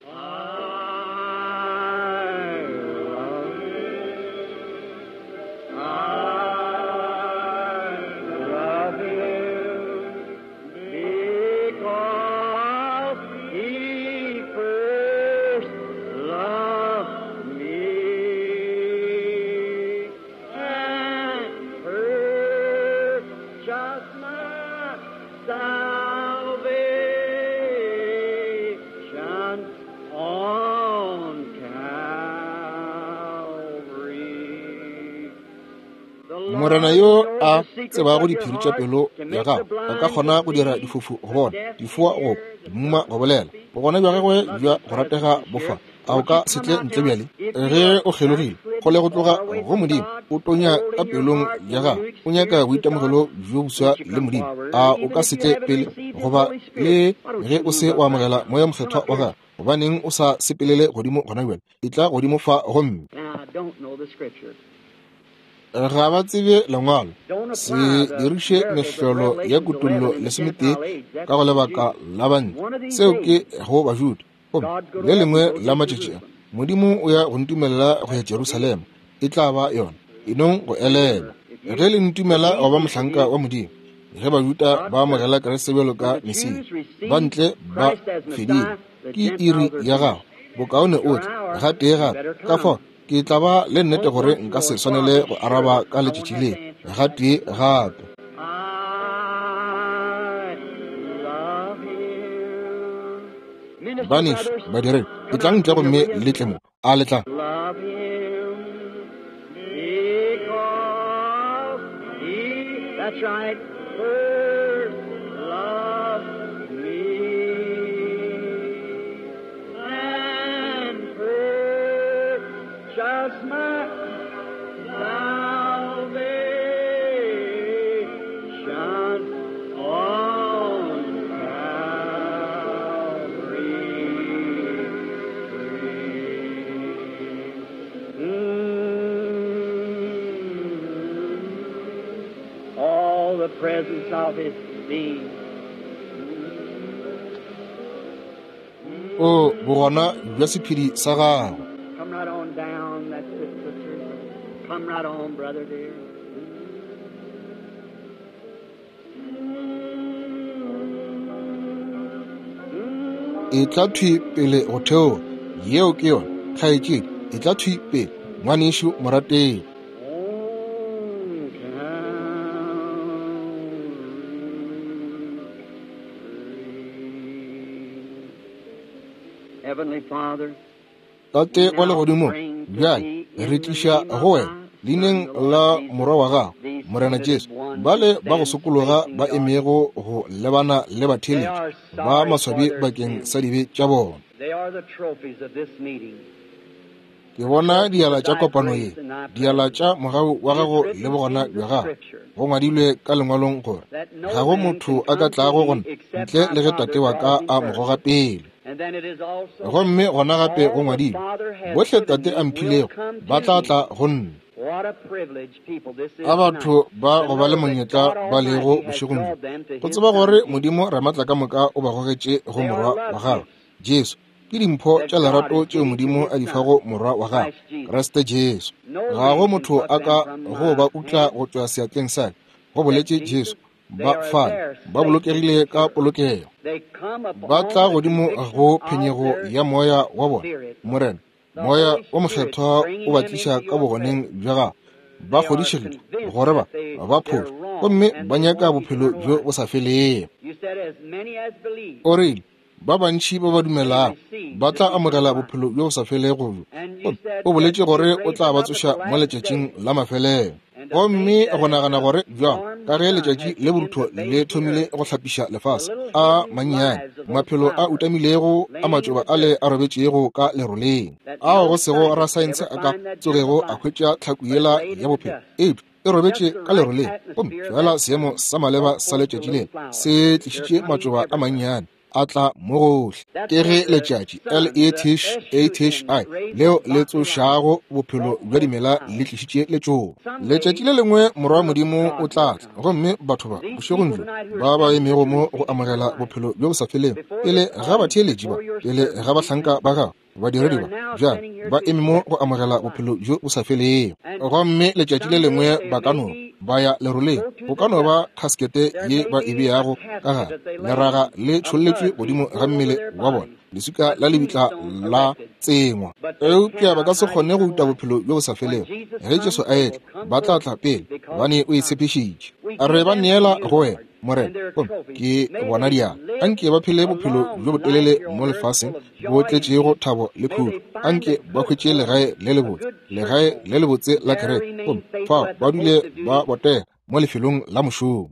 A: Morena yo a tsebago diphiri tša pelo ya gago a ka kgona go dira difofu go bona, difoa go kwa, dimuma go bolela. Bogona bja gagwe bja go ratega bo fa. A o ka se tle ntle bjale? Ge o kgelogile kgole go tloga go Modimo, o tonya ka pelong ya gago, o nyaka boitemogelo bjo boswa le Modimo, a o ka se tle pele? Goba le ge o se wa amogela Moya Mokgethwa wa gago, gobaneng o sa sepelele godimo gona bjale? Etla godimo fa gomme. Ga ba tsebe Lengwalo. Se diriše mehlolo ya Kutollo 11 ka go lebaka la Bantle. Seo ke go Bajuda. Gomme le lengwe la matšatši a, Modimo o ya go ntumelela go ya Jerusalema. E tla ba yona. E nong go elelwa. Ge le ntumela go ba mohlanka wa Modimo, ge Bajuda ba amogela Kriste bjalo ka Mesia, Bantle ba fedile. Ke iri ya gago. Bokaone o tle gatee gape. Ka fao ke tla ba le nnete gore nka se swanele go araba ka letšatši le gatee gape. Banešu badiredi, etlang ntle gomme le tle mo. A le tla?
B: That's right. First loved me and purchased my salvation on Calvary tree. Mm. All the presence of His being.
A: O bogona bja sephedi sa gagwe.
B: Come right on down, that's it, sister. Come right on, brother dear.
A: Etla thwi pele go theoga. Yeo ke yona, kgaetšedi. Etla thwi pele, ngwanešu morategi.
B: On Calvary. Heavenly Father,
A: Tate wa legodimong, bjale re tliša go wena leineng la Morwa wa gago, Morena Jesu, bale ba go sokologa ba emego go lebana le batheeletši ba maswabi bakeng sa dibe tša bona.
B: they are the trophies of this meeting.
A: Ke bona diala tša kopano ye, diala tša mogau wa gago le bogona bja gago. Go ngwadilwe ka lengwalong gore ga go motho a ka tlago go nna ntle le ge Tate wa ka a mo goga pele.
B: And then it is also
A: Gomme gona gape go ngwadilwe, bohle Tate a mphilego ba tla tla go nna.
B: what a privilege, people, this is
A: A batho
B: tonight,
A: ba
B: to
A: go ba le
B: know that
A: monyetla
B: God
A: ba lego
B: Almighty has
A: bošegong bjo,
B: drawn them to
A: go
B: His
A: tseba gore
B: Son, Jesus.
A: Modimo Ramatlakamoka o ba gogetše go
B: They are
A: Morwa wa
B: love
A: gagwe,
B: gifts
A: Jesu. Ke dimpho
B: that
A: tša
B: God
A: lerato
B: is
A: tšeo
B: giving to
A: Modimo
B: His
A: a di
B: Son,
A: fago Morwa wa gagwe,
B: Christ Jesus.
A: Kriste Jesu.
B: No
A: Ga go
B: man can
A: motho
B: pluck
A: a
B: them
A: ka
B: from
A: go
B: my
A: ba utla
B: hand,
A: go tšwa seatleng sa ka, go
B: said
A: boletše
B: Jesus.
A: Jesu.
B: They
A: Ba
B: are
A: fane,
B: there
A: ba
B: safe and
A: bolokegile ka
B: secure.
A: polokego.
B: They come
A: Ba
B: upon
A: tla
B: the
A: godimo
B: conviction
A: go
B: of
A: phenyego
B: their
A: ya moya wa bona.
B: spirit,
A: Morena,
B: the
A: Moya
B: Holy
A: o
B: Spirit
A: Mokgethwa o
B: bringing
A: ba
B: them
A: tliša
B: into
A: ka
B: your
A: bogoneng
B: presence.
A: bja gago. Ba
B: They are
A: kgodišegile
B: convinced
A: gore ba
B: that they,
A: ba
B: they're
A: phošo
B: wrong
A: gomme
B: and
A: ba
B: they
A: nyaka
B: want
A: bophelo
B: eternal
A: bjo
B: life.
A: bo sa felego.
B: You said, as many as believe,
A: O rile, ba bantši ba ba
B: they
A: dumelago
B: receive
A: ba
B: the
A: tla
B: eternal
A: amogela
B: life.
A: bophelo bjo bo sa felego bjo.
B: And you
A: Gomme
B: said
A: o
B: that
A: boletše
B: you'd
A: gore o
B: raise
A: tla
B: them
A: ba
B: up at the
A: tsoša mo
B: last
A: letšatšing
B: day.
A: la mafelelo.
B: And to
A: Gomme
B: think that
A: go
B: as
A: nagana
B: the
A: gore bjang
B: arms
A: Ka ge letšatši le borutho le thomile go hlapiša lefase, a mannyane, maphelo a utamilego a matšoba ale a robetšego ka leroleng, ao go sego rasaense a ka tsogego a hwetša tlhaku yela ya bophelo, eupša e robetše ka leroleng, gomme fela seemo sa maleba sa letšatši lela se tlišitše matšoba a mannyane a tla mo gohle. Ke ge letšatši L-E-T-H-A-T-H-I leo le tsošago bophelo bja dimela le tlišitše letšoba. Letšatši le lengwe Morwa wa Modimo o tla tla, gomme batho ba bošegong bjo ba ba emego mo go amogela bophelo bjo bo sa felego pele ga batheeletši ba, pele ga bahlanka ba gagwe, badiredi ba bjale ba eme mo go amogela bophelo bjo bo sa felego. Gomme letšatši le lengwe ba ka no ba ya leroleng, go ka no ba khaskete ye ba e beago ka gare, leraga le tšholletšwe godimo ga mmele wa bona, leswika la lebitla la tsengwa. Eupša ba ka se kgone go uta bophelo bjo bo sa felego. Ge Jesu a etla, ba tla tla pele, gobane o e tshepišitše. Re ba neela go wena, Morena, gomme ke bona diatla. Anke ba phele bophelo bjo botelele mo lefaseng, bo tletšego thabo le khutšo. Anke ba hwetše legae le lebotse, legae le lebotse la kereke, gomme fao ba dule ba botega mo lefelong la mošomo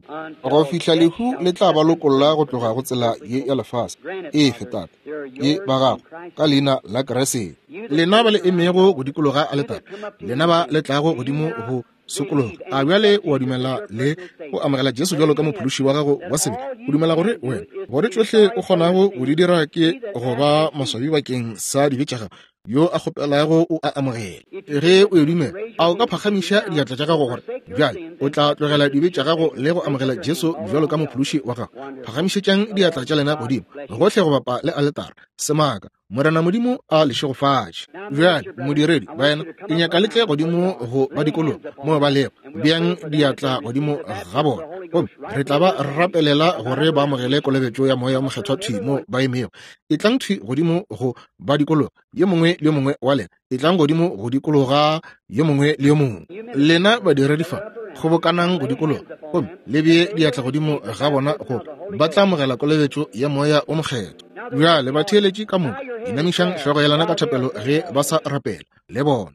A: go fihla lehu le tla ba lokolla go tloga go tsela ye ya lefase. Efe, Tate, ke ba gago, ka leina la Kriste. Lena ba le emego go dikologa aletare, lena ba le tlago godimo go sokologa, a bjale o a dumela le go amogela Jesu bjalo ka Mophološi wa gago wa sebe? O dumela gore wena, gore tšohle o kgonago go di dira ke go ba maswabi bakeng sa dibe tša gago? Yo a kgopelago o a amogela. Ge o e dumela, a o ka phagamiša diatla tša gago gore bjale o tla tlogela dibe tša gago le go amogela Jesu bjalo ka Mophološi wa gago? Phagamišetšang diatla tša lena godimo gohle go bapa le aletara. Semaka. Morena Modimo a le šegofatše. Bjale, modiredi, baena, ke nyaka le tle godimo go ba dikologa moo ba lego. Beang diatla godimo ga bona, gomme re tla ba rapelela gore ba amogele kolobetšo ya Moya wo Mokgethwa thwi mo ba emego. Etlang thwi godimo go ba dikologa, yo mongwe le yo mongwe wa lena. Etlang godimo go dikologa, yo mongwe le yo mongwe. Lena badiredi fa, kgobokanang go dikologa, gomme le bee diatla godimo ga bona, gore ba tla amogela kolobetšo ya Moya wo Mokgethwa. Bjale batheeletši ka moka, inamišang hlogo ya lena ka thapelo ge ba sa rapela le bona.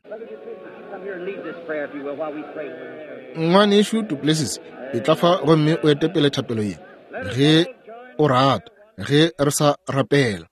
A: Ngwanešu Duplessis, etla fa gomme o ete pele thapelo ye, ge o rata, ge re sa rapela.